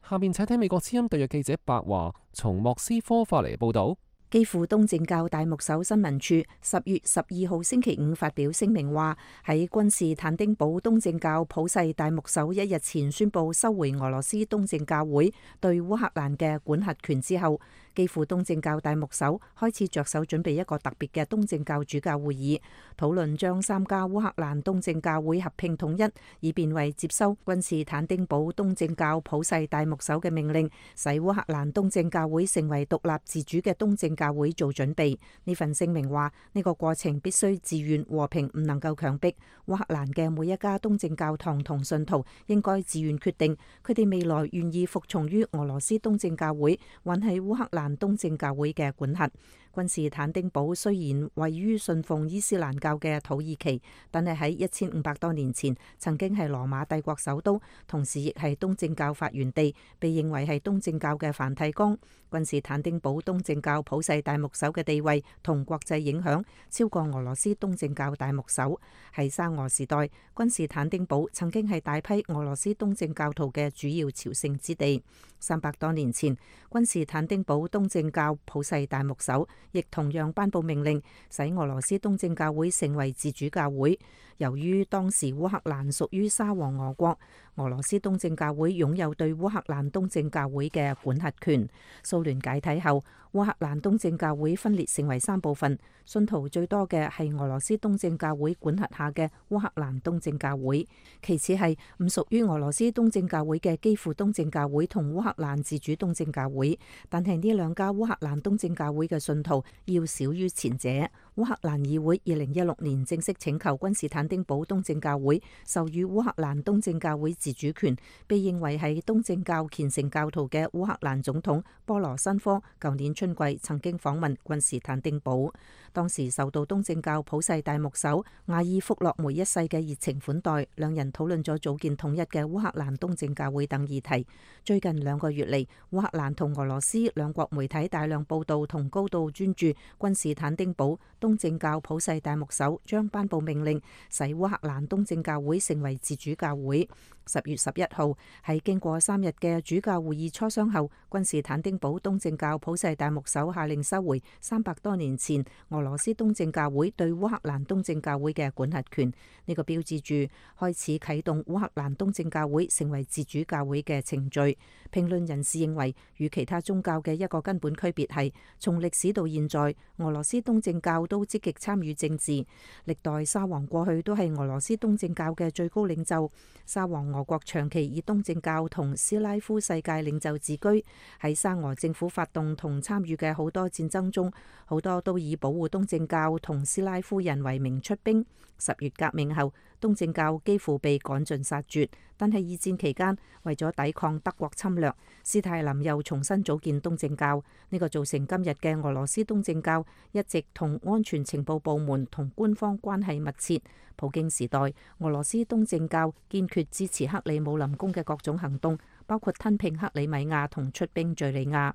下面請聽美國之音特約記者白華從莫斯科發嚟報道。基輔東正教大牧首新聞處10月12號星期五發表聲明話，喺君士坦丁堡東正教普世大牧首1日前宣布收回俄羅斯東正教會對烏克蘭嘅管轄權之後，基輔東正教大牧首開始着手準備一個特別嘅東正教主教會議，討論將3家烏克蘭東正教會合併統一，以便為接收君士坦丁堡東正教普世大牧首嘅命令，使烏克蘭東正教會成為獨立自主嘅東正教會做準備。呢份聲明話，呢個過程必須自願和平，唔能夠強迫。烏克蘭嘅每一家東正教堂同信徒應該自願決定，佢哋未來願意服從於俄羅斯東正教會，還係烏克蘭東正教會嘅管轄。君士坦丁堡雖然位於信奉伊斯蘭教嘅土耳其，但係喺1500多年前曾經係羅馬帝國首都，同時亦係東正教發源地，被認為係東正教嘅梵蒂岡。君士坦丁堡東正教普世大牧首嘅地位同國際影響超過俄羅斯東正教大牧首。喺沙俄時代，君士坦丁堡曾經係大批俄羅斯東正教徒嘅主要朝聖之地。300多年前，君士坦丁堡東正教普世大牧首亦同樣頒布命令，使俄羅斯東正教會成為自主教會。由於當時烏克蘭屬於沙皇俄國，俄羅斯東正教會擁有對烏克蘭東正教會嘅管轄權。蘇聯解體後，烏克蘭東正教會分裂成為3部分，信徒最多嘅係俄羅斯東正教會管轄下嘅烏克蘭東正教會，其次係唔屬於俄羅斯東正教會嘅基輔東正教會同烏克蘭自主東正教會。但係呢2家烏克蘭東正教會嘅信徒要少於前者。烏克蘭議會2016年正式請求君士坦丁堡東正教會授予烏克蘭東正教會自主權，被認為係東正教虔誠教徒嘅烏克蘭總統波羅申科舊年春季曾經訪問君士坦丁堡，當時受到東正教普世大牧首亞爾福洛梅一世嘅熱情款待，兩人討論咗組建統一嘅烏克蘭東正教會等議題。最近2個月嚟，烏克蘭同俄羅斯兩國媒體大量報道同高度專注君士坦丁堡東正教普世大牧首將頒布命令，使烏克蘭東正教會成為自主教會。10月11號，喺經過3日嘅主教會議磋商後，君士坦丁堡東正教普世大牧首下令收回300多年前俄羅斯東正教會對烏克蘭東正教會嘅管轄權。呢個標誌住開始啟動烏克蘭東正教會成為自主教會嘅程序。評論人士認為，與其他宗教嘅一個根本區別係，從歷史到現在，俄羅斯東正教都積極參與政治。歷代沙皇過去都係俄羅斯東正教嘅最高領袖。沙皇俄國長期以東正教同斯拉夫世界領袖自居，喺沙俄政府發動同參與嘅好多戰爭中，好多都以保護東正教同斯拉夫人為名出兵。10月革命後，東正教幾乎被趕盡殺絕，但係二戰期間為咗抵抗德國侵略，斯大林又重新組建東正教，呢個造成今日嘅俄羅斯東正教一直同安全情報部門同官方關係密切。普京時代，俄羅斯東正教堅決支持克里姆林宮嘅各種行動，包括吞併克里米亞同出兵敘利亞。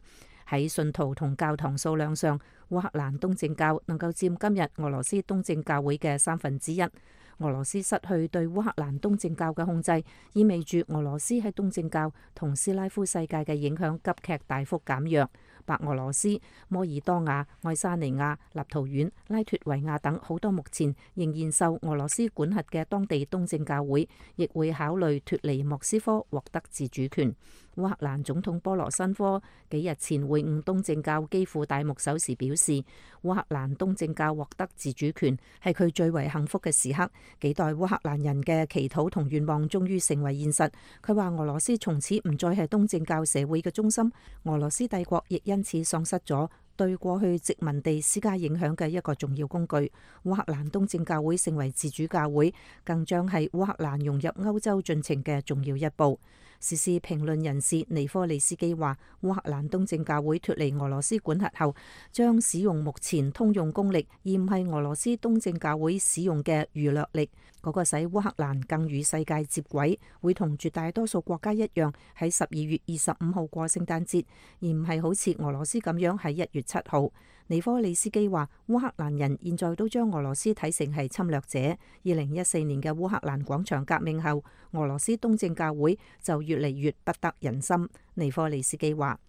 喺信徒同教堂數量上，烏克蘭東正教能夠佔今日俄羅斯東正教會嘅1/3。俄羅斯失去對烏克蘭東正教嘅控制，意味住俄羅斯喺東正教同斯拉夫世界嘅影響急劇大幅減弱。白俄羅斯、摩爾多瓦、愛沙尼亞、立陶宛、拉脫維亞等好多目前仍然受俄羅斯管轄嘅當地東正教會，亦會考慮脫離莫斯科，獲得自主權。烏克蘭總統波羅申科幾日前會晤東正教基輔大牧首時表示，烏克蘭東正教獲得自主權係佢最為幸福嘅時刻，幾代烏克蘭人嘅祈禱同願望終於成為現實。佢話俄羅斯從此唔再係東正教社會嘅中心，俄羅斯帝國亦因此喪失咗對過去殖民地施加影響嘅一個重要工具。烏克蘭東正教會成為自主教會，更將係烏克蘭融入歐洲進程嘅重要一步。時事評論人士尼科利斯基話，烏克蘭東正教會脫離俄羅斯管轄後，將使用目前通用公力，而唔係俄羅斯東正教會使用嘅餘掠力，嗰個使烏克蘭更與世界接軌，會同絕大多數國家一樣喺12月25號過聖誕節，而唔係好似俄羅斯咁樣喺1月7號。尼科利斯基話，烏克蘭人現在都將俄羅斯睇成係侵略者。2014年嘅烏克蘭廣場革命後，俄羅斯東正教會就越嚟越不得人心。尼科利斯基話，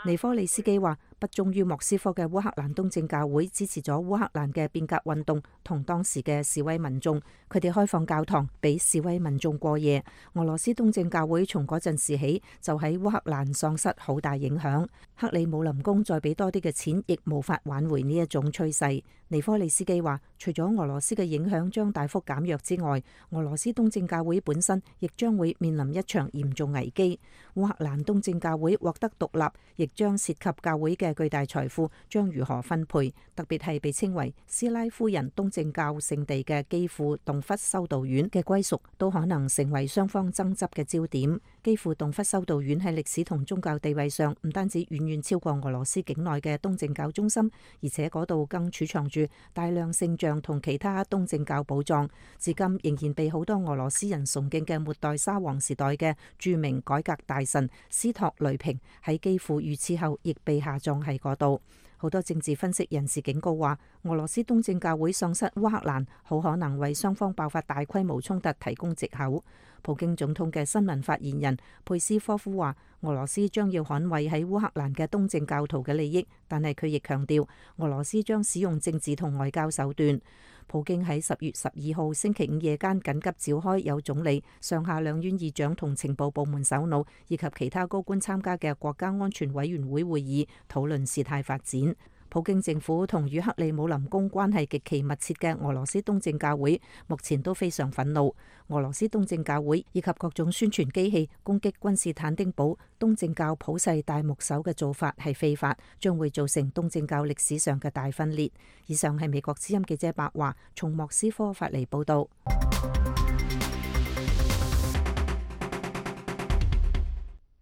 尼科利斯基話，不忠於莫斯科嘅烏克蘭東正教會支持咗烏克蘭嘅變革運動同當時嘅示威民眾，佢哋開放教堂俾示威民眾過夜。俄羅斯東正教會從嗰陣時起就喺烏克蘭喪失好大影響，克里姆林宮再俾多啲嘅錢亦無法挽回呢一種趨勢。尼科利斯基話，除咗俄羅斯嘅影響將大幅減弱之外，俄羅斯東正教會本身亦將會面臨一場嚴重危機。烏克蘭東正教會獲得獨立，亦將涉及教會嘅巨大財富將如何分配，特別係被稱為斯拉夫人東正教聖地嘅基輔洞窟修道院嘅歸屬，都可能成為雙方爭執嘅焦點。基輔洞窟修道院喺歷史同宗教地位上唔單止遠遠超過俄羅斯境內嘅東正教中心，而且嗰度更儲藏住大量聖像同其他東正教寶藏，至今仍然被好多俄羅斯人崇敬嘅末代沙皇時代嘅著名改革大臣斯托雷平喺基輔遇刺後亦被下葬喺嗰度。好多政治分析人士警告話，俄羅斯東正教會喪失烏克蘭，好可能為雙方爆發大規模衝突提供藉口。普京總統嘅新聞發言人佩斯科夫話，俄羅斯將要捍衛喺烏克蘭嘅東正教徒嘅利益，但係佢亦強調，俄羅斯將使用政治同外交手段。普京喺10月12號星期五夜間緊急召開有總理、上下兩院議長同情報部門首腦以及其他高官參加嘅國家安全委員會會議，討論事態發展。普京政府同與克里姆林宮關係極其密切嘅俄羅斯東正教會目前都非常憤怒。俄羅斯東正教會以及各種宣傳機器攻擊君士坦丁堡東正教普世大牧首嘅做法係非法，將會造成東正教歷史上嘅大分裂。以上係美國之音記者白華從莫斯科發嚟報道。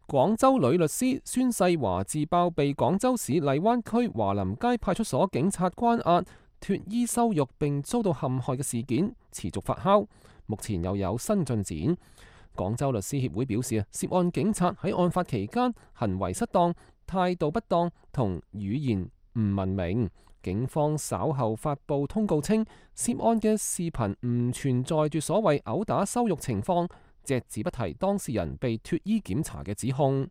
廣州女律師孫世華自爆被廣州市荔灣區華林街派出所警察關押、脫衣羞辱並遭到陷害嘅事件持續發酵，目前又有新進展。廣州律師協會表示，涉案警察喺案發期間行為失當、態度不當同語言唔文明。警方稍後發布通告稱，涉案嘅視頻唔存在住所謂毆打羞辱情況，隻字不提當事人被脫衣檢查嘅指控。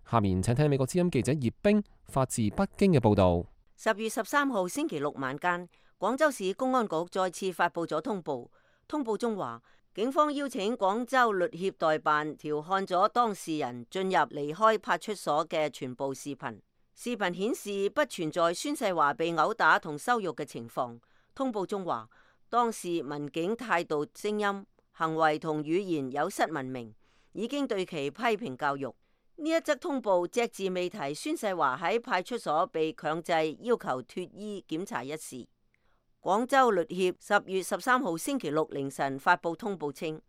下面請聽美國之音記者葉冰發自北京嘅報道。10月13號星期六晚間，廣州市公安局再次發布咗通報。通報中話，警方邀請廣州律協代辦調看咗當事人進入離開派出所嘅全部視頻。視頻顯示不存在孫世華被毆打同羞辱嘅情況。通報中話，當時民警態度、聲音、行為同語言有失文明，已經對其批評教育。呢一則通報隻字未提孫世華喺派出所被強制要求脫衣檢查一事。廣州律協10月13號星期六凌晨發布通報稱，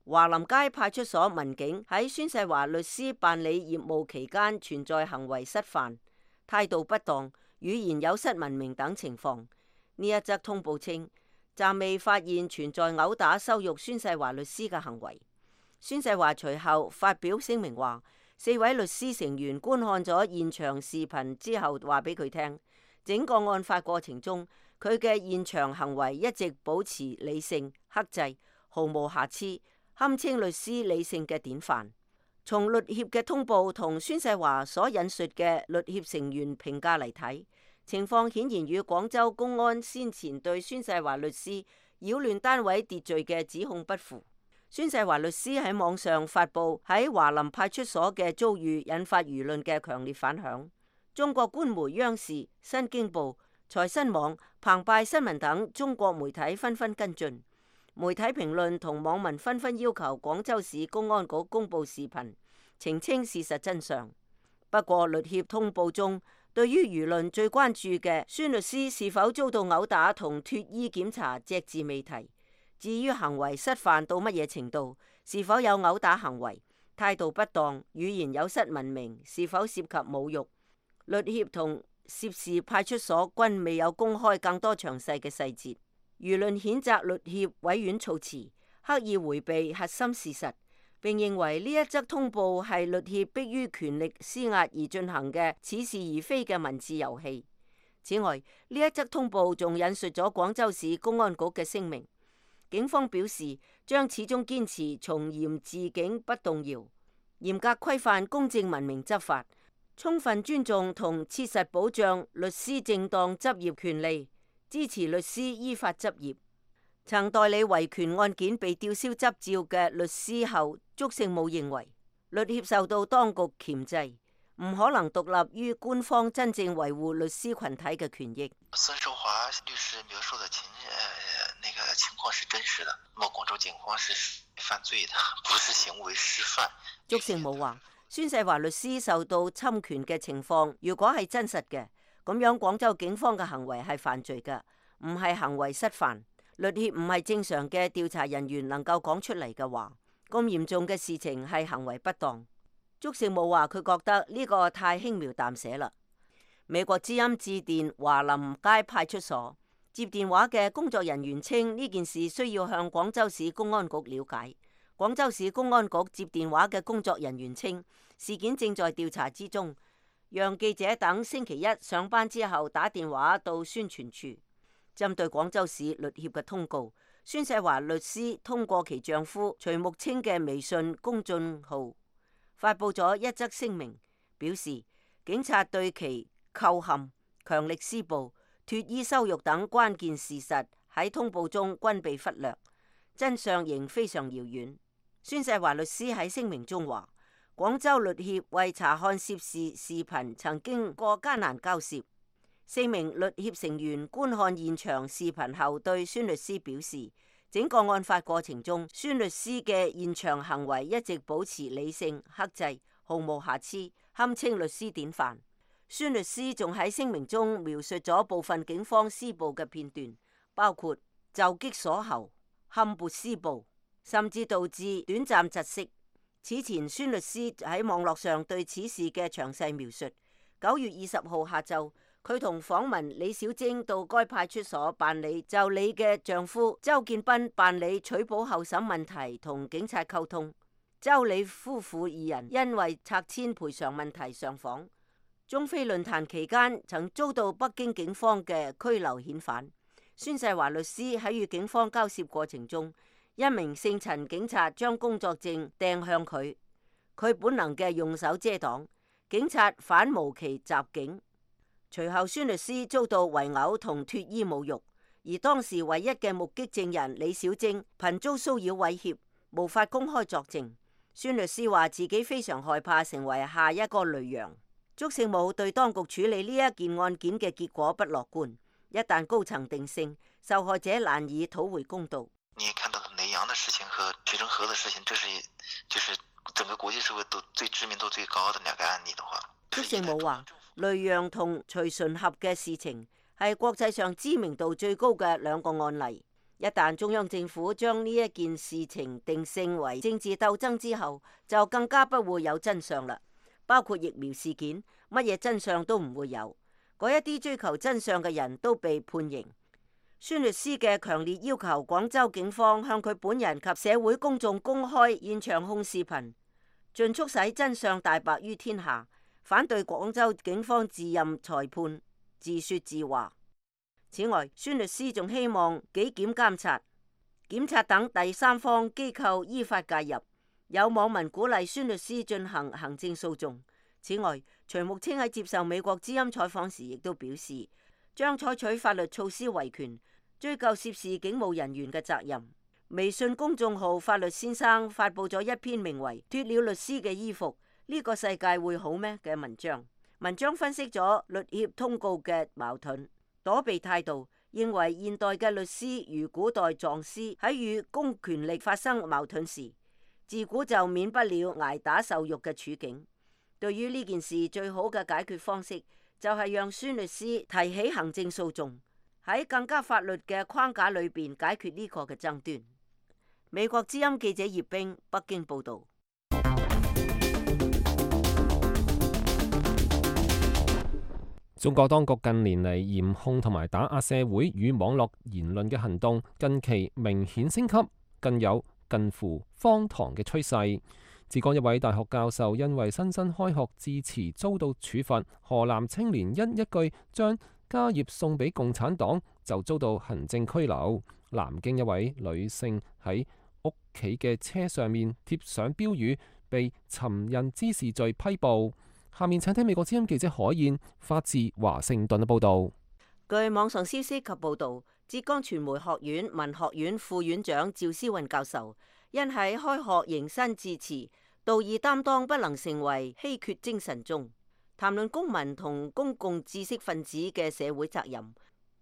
華林街派出所民警喺孫世華律師辦理業務期間存在行為失範、態度不當、語言有失文明等情況。呢一則通報稱，暫未發現存在毆打羞辱孫世華律師嘅行為。孫世華隨後發表聲明話，4位律師成員觀看咗現場視頻之後話俾佢聽，整個案發過程中佢嘅現場行為一直保持理性、克制，毫無瑕疵，堪稱律師理性嘅典範。從律協嘅通報同孫世華所引述嘅律協成員評價嚟睇，情況顯然與廣州公安先前對孫世華律師擾亂單位秩序嘅指控不符。孫世華律師喺網上發布喺華林派出所嘅遭遇，引發輿論嘅強烈反響。中國官媒央視、新京報、財新網、澎湃新聞等中國媒體紛紛跟進，媒體評論同網民紛紛要求廣州市公安局公布視頻，澄清事實真相。不過律協通報中，對於輿論最關注嘅孫律師是否遭到毆打同脫衣檢查，隻字未提。至於行為失範到乜嘢程度，是否有毆打行為、態度不當、語言有失文明，是否涉及侮辱，律協同涉事派出所均未有公開更多詳細嘅細節。輿論譴責律協委婉措辭，刻意迴避核心事實，並認為呢一則通報係律協迫於權力施壓而進行嘅似是而非嘅文字遊戲。此外，呢一則通報仲引述咗廣州市公安局嘅聲明。警方表示將始終堅持從嚴治警不動搖，嚴格規範公正文明執法，充分尊重同切實保障律師正當執業權利，支持律師依法執業。曾代理維權案件被吊銷執照嘅律師後祝聖武認為，律協受到當局鉗制，唔可能獨立於官方真正維護律師群體嘅權益。孫世華律師描述的情況是真實的，廣州警方是犯罪的，不是行為失範。祝聖武話，孫世華律師受到侵權嘅情況，如果係真實嘅，咁樣廣州警方嘅行為係犯罪嘅，唔係行為失範。律協唔係正常嘅調查人員能夠講出嚟嘅話，咁嚴重嘅事情係行為不當。祝聖武話佢覺得呢個太輕描淡寫啦。美國之音致電華林街派出所，接電話嘅工作人員稱呢件事需要向廣州市公安局了解。廣州市公安局接電話嘅工作人員稱事件正在調查之中，讓記者等星期一上班之後打電話到宣傳處。針對廣州市律協嘅通告，孫世華律師通過其丈夫徐木清嘅微信公眾號發布咗一則聲明，表示警察對其扣陷、強力施暴、脫衣羞辱等關鍵事實喺通報中均被忽略，真相仍非常遙遠。孫世華律師喺聲明中話，廣州律協為查看涉事視頻曾經過艱難交涉。4名律協成員觀看現場視頻後對孫律師表示，整個案發過程中，孫律師嘅現場行為一直保持理性、克制，毫無瑕疵，堪稱律師典範。孫律師仲喺聲明中描述咗部分警方施暴嘅片段，包括就擊鎖喉、冚缽施暴，甚至導致短暫窒息。此前，孫律師喺網絡上對此事嘅詳細描述。9月20號下晝，佢同訪問李小貞到該派出所辦理就李嘅丈夫周建斌辦理取保候審問題同警察溝通。周李夫婦二人因為拆遷賠償問題上訪。中非論壇期間曾遭到北京警方嘅拘留遣返。孫世華律師喺與警方交涉過程中，一名姓陳警察將工作證掟向佢，佢本能嘅用手遮擋，警察反無其襲警。隨後孫律師遭到圍毆同脫衣侮辱，而當時唯一嘅目擊證人李小貞頻遭騷擾威脅，無法公開作證。孫律師話自己非常害怕成為下一個雷洋。祝聖武對當局處理呢一件案件嘅結果不樂觀，一旦高層定性，受害者難以討回公道。你也看到雷洋的事情和徐峥河的事情，就是整個國際社會都最知名度最高的兩個案例的話，祝聖武話，雷洋同徐純合嘅事情係國際上知名度最高嘅兩個案例。一旦中央政府將呢一件事情定性為政治鬥爭之後，就更加不會有真相啦。包括疫苗事件，乜嘢真相都唔會有。嗰一啲追求真相嘅人都被判刑。孫律師嘅強烈要求廣州警方向佢本人及社會公眾公開現場控視頻，盡速使真相大白於天下，反對廣州警方自任裁判自說自話。此外，孫律師仲希望紀檢監察、檢察等第三方機構依法介入。有網民鼓勵孫律師進行行政訴訟。此外，徐木清喺接受美國之音採訪時亦都表示，將採取法律措施維權，追究涉事警務人員嘅責任。微信公眾號法律先生發佈咗一篇名為《脫了律師嘅衣服，呢個世界會好咩》嘅文章。文章分析咗律協通告嘅矛盾、躲避態度，認為現代嘅律師如古代狀師喺與公權力發生矛盾時，自古就免不了挨打受辱嘅處境。對於呢件事，最好嘅解決方式就係讓孫律師提起行政訴訟，喺更加法律嘅框架裏邊解決呢個嘅爭端。美國之音記者葉冰北京報道。中國當局近年嚟嚴控同埋打壓社會與網絡言論嘅行動，近期明顯升級，更有近乎荒唐嘅趨勢。浙江一位大學教授因為新生開學致辭遭到處罰，河南青年因一句將家業送俾共產黨就遭到行政拘留。南京一位女性喺屋企嘅車上面貼上標語，被尋釁滋事罪批捕。下面請聽美國之音記者海燕發自華盛頓嘅報道。據網上消息及報道，浙江傳媒學院文學院副院長趙思運教授因喺開學迎新致辭，道義擔當不能成為稀缺精神中，談論公民同公共知識分子嘅社會責任，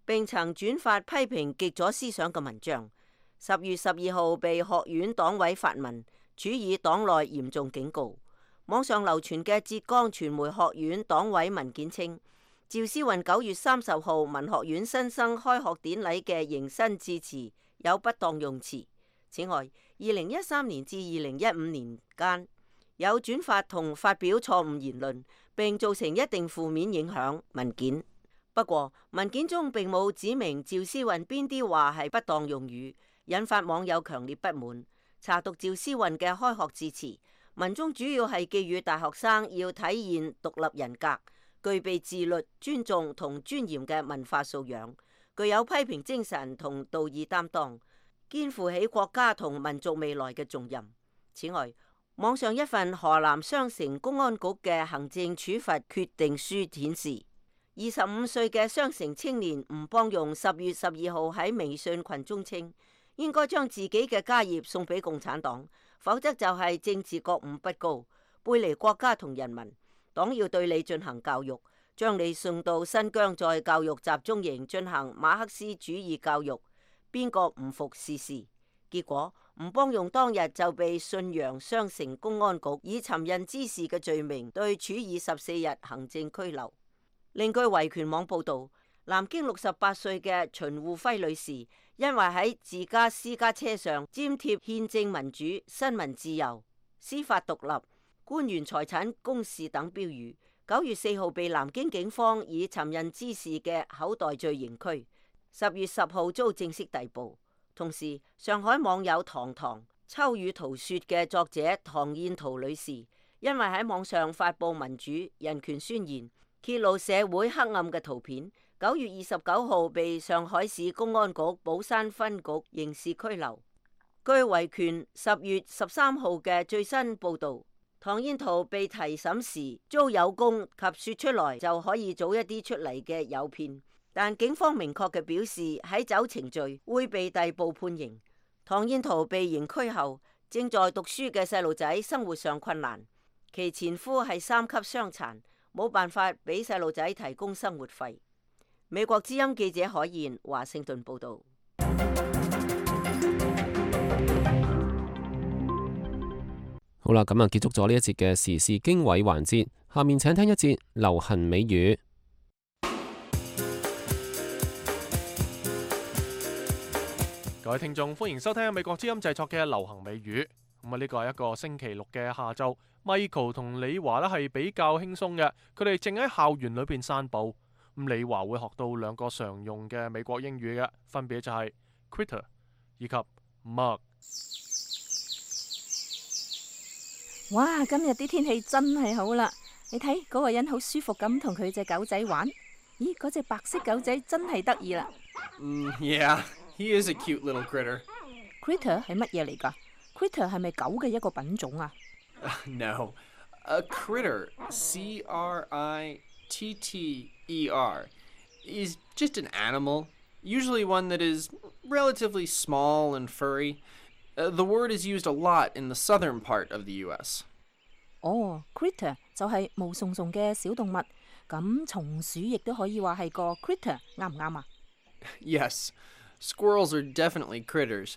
並曾轉發批評極左思想嘅文章。10月12號被學院黨委發文，處以黨內嚴重警告。網上流傳嘅浙江傳媒學院黨委文件稱，趙思運9月30號文學院新生開學典禮嘅迎新致辭有不當用詞。此外，2013年至2015年間有轉發同發表錯誤言論，並造成一定負面影響文件。不過文件中並冇指明趙思運邊啲話係不當用語，引發網友強烈不滿。查讀趙思運嘅開學致辭，文中主要係寄語大學生要體現獨立人格，具備自律、尊重同尊嚴嘅文化素養，具有批評精神同道義擔當，肩負起國家同民族未來嘅重任。此外，網上一份河南商城公安局嘅行政處罰決定書顯示，25歲嘅商城青年吳邦用10月12號喺微信群中稱，應該將自己嘅家業送俾共產黨，否則就係政治覺悟不高，背離國家同人民。黨要對你進行教育，將你送到新疆再教育集中營進行馬克思主義教育，邊個唔服試試？結果吳邦用當日就被信陽商城公安局以尋釁滋事嘅罪名對處以14日行政拘留。另據維權網報道，南京68歲嘅秦護輝女士，因為喺自家私家車上粘貼憲政民主、新聞自由、司法獨立、官員財產公示等標語，9月4號被南京警方以尋釁滋事嘅口袋罪刑拘，10月10號遭正式逮捕。同時，上海網友堂堂秋雨圖說嘅作者唐燕圖女士，因為喺網上發布民主人權宣言，揭露社會黑暗嘅圖片，9月29號被上海市公安局寶山分局刑事拘留。據維權10月13號嘅最新報導，唐燕圖被提審時遭有功及說出來就可以早一啲出嚟嘅誘騙，但警方明確嘅表示喺走程序會被逮捕判刑。唐燕圖被刑拘後，正在讀書嘅細路仔生活上困難，其前夫係3級傷殘，冇辦法俾細路仔提供生活費。美國之音記者海燕華盛頓報道。好啦，咁啊結束咗呢一節嘅時事經緯環節，下面請聽一節流行美語。各位聽眾，歡迎收聽美國之音製作嘅流行美語。咁啊，呢個係一個星期六嘅下晝，Michael 同李華呢係比較輕鬆嘅，佢哋正喺校園裏邊散步。咁李華會學到兩個常用嘅美國英語嘅，分別就係 critter 以及 mug。哇！今日啲天氣真係好啦，你睇嗰個人好舒服咁同佢隻狗仔玩。咦，嗰隻白色狗仔真係得意啦。Yeah, he is a cute little critter. Critter 係乜嘢嚟㗎？ Critter 係咪狗嘅一個品種啊No, a critter, C-R-I-T-T-E-R, is just an animal, usually one that is relatively small and furry. The word is used a lot in the southern part of the U.S. 哦 critter 就係毛鬆鬆嘅小動物，咁松鼠亦都可以話係個 critter， 啱唔啱啊？ Yes, squirrels are definitely critters.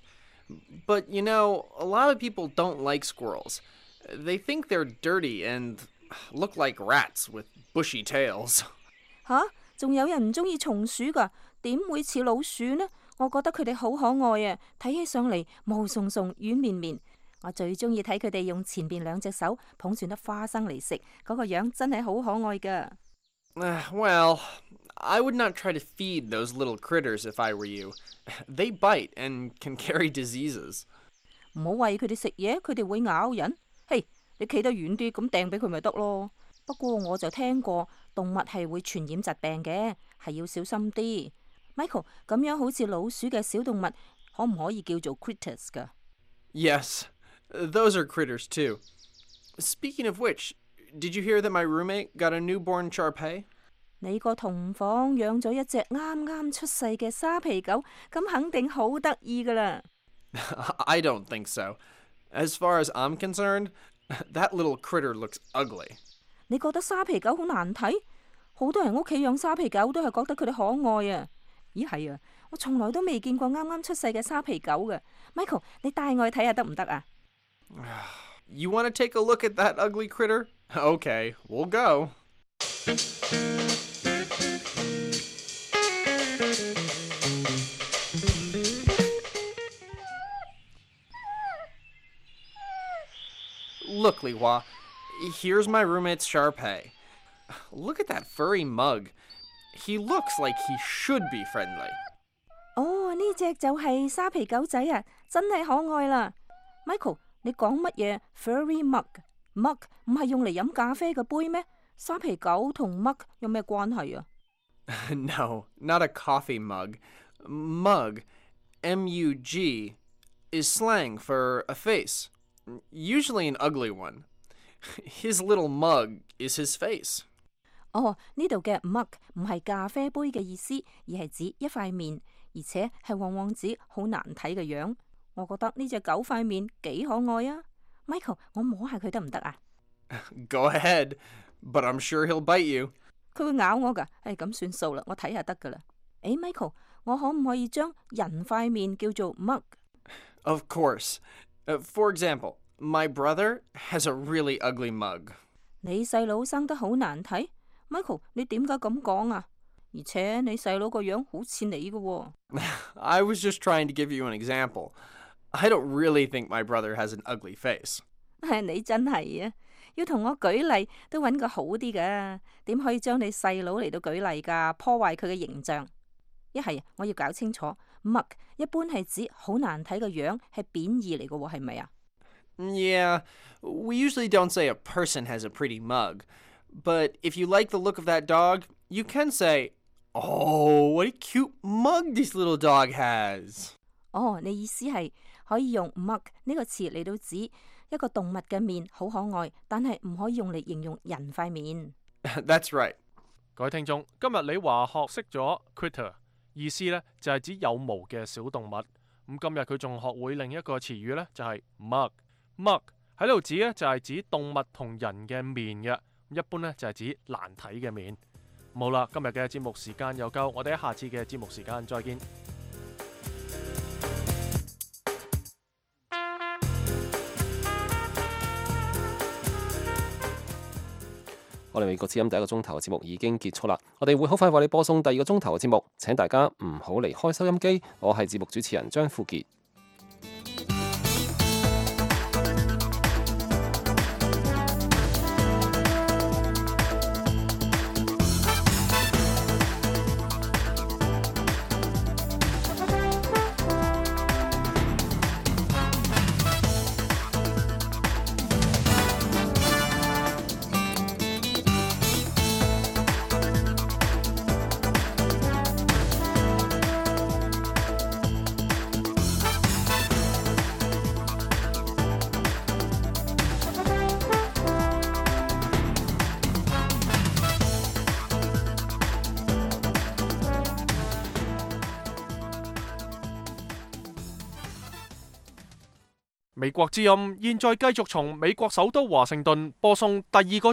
But, you know, a lot of people don't like squirrels. They think they're dirty and look like rats with bushy tails. 吓，仲有人唔中意松鼠㗎，點會似老鼠呢？我覺得佢哋好可愛啊，睇起上嚟毛鬆鬆、軟綿綿。我最中意睇佢哋用前邊兩隻手捧住粒花生嚟食，嗰個樣真係好可愛㗎。Well, I would not try to feed those little critters if I were you. They bite and can carry diseases. 唔好餵佢哋食嘢，佢哋會咬人。嘿，你企得遠啲，咁掟俾佢咪得咯。不過我就聽過動物係會傳染疾病嘅，係要小心啲。Michael， 咁樣好似老鼠嘅小動物，可唔可以叫做 critters 㗎？ Yes, those are critters too. Speaking of which, did you hear that my roommate got a newborn Shar-Pei? 你個同房養咗一隻啱啱出世嘅沙皮狗，咁肯定好得意㗎啦。I don't think so. As far as I'm concerned, that little critter looks ugly. 你覺得沙皮狗好難睇？好多人屋企養沙皮狗都係覺得佢哋可愛啊。咦係啊，我從來都未見過啱啱出世嘅沙皮狗嘅。Michael， 你帶我去睇下得唔得啊？ You want to take a look at that ugly critter? Okay, we'll go. Look, Li Hua, here's my roommate's Shar-Pei. Look at that furry mug. He looks like he should be friendly. 哦，呢隻就係沙皮狗仔啊，真係可愛啦。Michael， 你講乜嘢 furry mug？mug 唔係用嚟飲咖啡嘅杯咩？沙皮狗同 mug 有咩關係啊？ No, not a coffee mug. Mug, M-U-G, is slang for a face, usually an ugly one. His little mug is his face. 哦，呢度嘅 mug 唔係咖啡杯嘅意思，而係指一塊面，而且係往往指好難睇嘅樣。我覺得呢隻狗塊面幾可愛啊。Michael， 我摸下佢得唔得啊？ Go ahead, but I'm sure he'll bite you. 佢會咬我㗎，咁算數啦，我睇下得㗎啦。Michael， 我可唔可以將人塊面叫做 mug？ Of course. For example, my brother has a really ugly mug. 你細佬生得好難睇 ，Michael， 你點解咁講啊？而且你細佬個樣好似你㗎喎。I was just trying to give you an example. I don't really think my brother has an ugly face. 你真係啊，要同我舉例都揾個好啲㗎，點可以將你細佬嚟到舉例㗎？破壞佢嘅形象。一係我要搞清楚 ，mug 一般係指好難睇嘅樣，係貶義嚟嘅喎，係咪啊？ Yeah, we usually don't say a person has a pretty mug. But if you like the look of that dog, you can say, "Oh, what a cute mug this little dog has." 哦，你意思係可以用 mug 呢個詞嚟到指一個動物嘅面好可愛，但係唔可以用嚟形容人塊面。That's right. 各位聽眾，今日你話學識咗 critter， 意思呢就係指有毛嘅小動物。咁今日佢仲學會另一個詞語呢，就係 mug。mug 喺度指呢，就係指動物同人嘅面嘅，一般呢，就係指難睇嘅面。好啦，今日嘅節目時間又夠，我哋喺下次嘅節目時間再見。我哋美國之音第一個鐘頭嘅節目已經結束啦，我哋會好快為你播送第二個鐘頭嘅節目，請大家唔好離開收音機。我係節目主持人張富傑。美國之音現在繼續從美國首都華盛頓播送第二個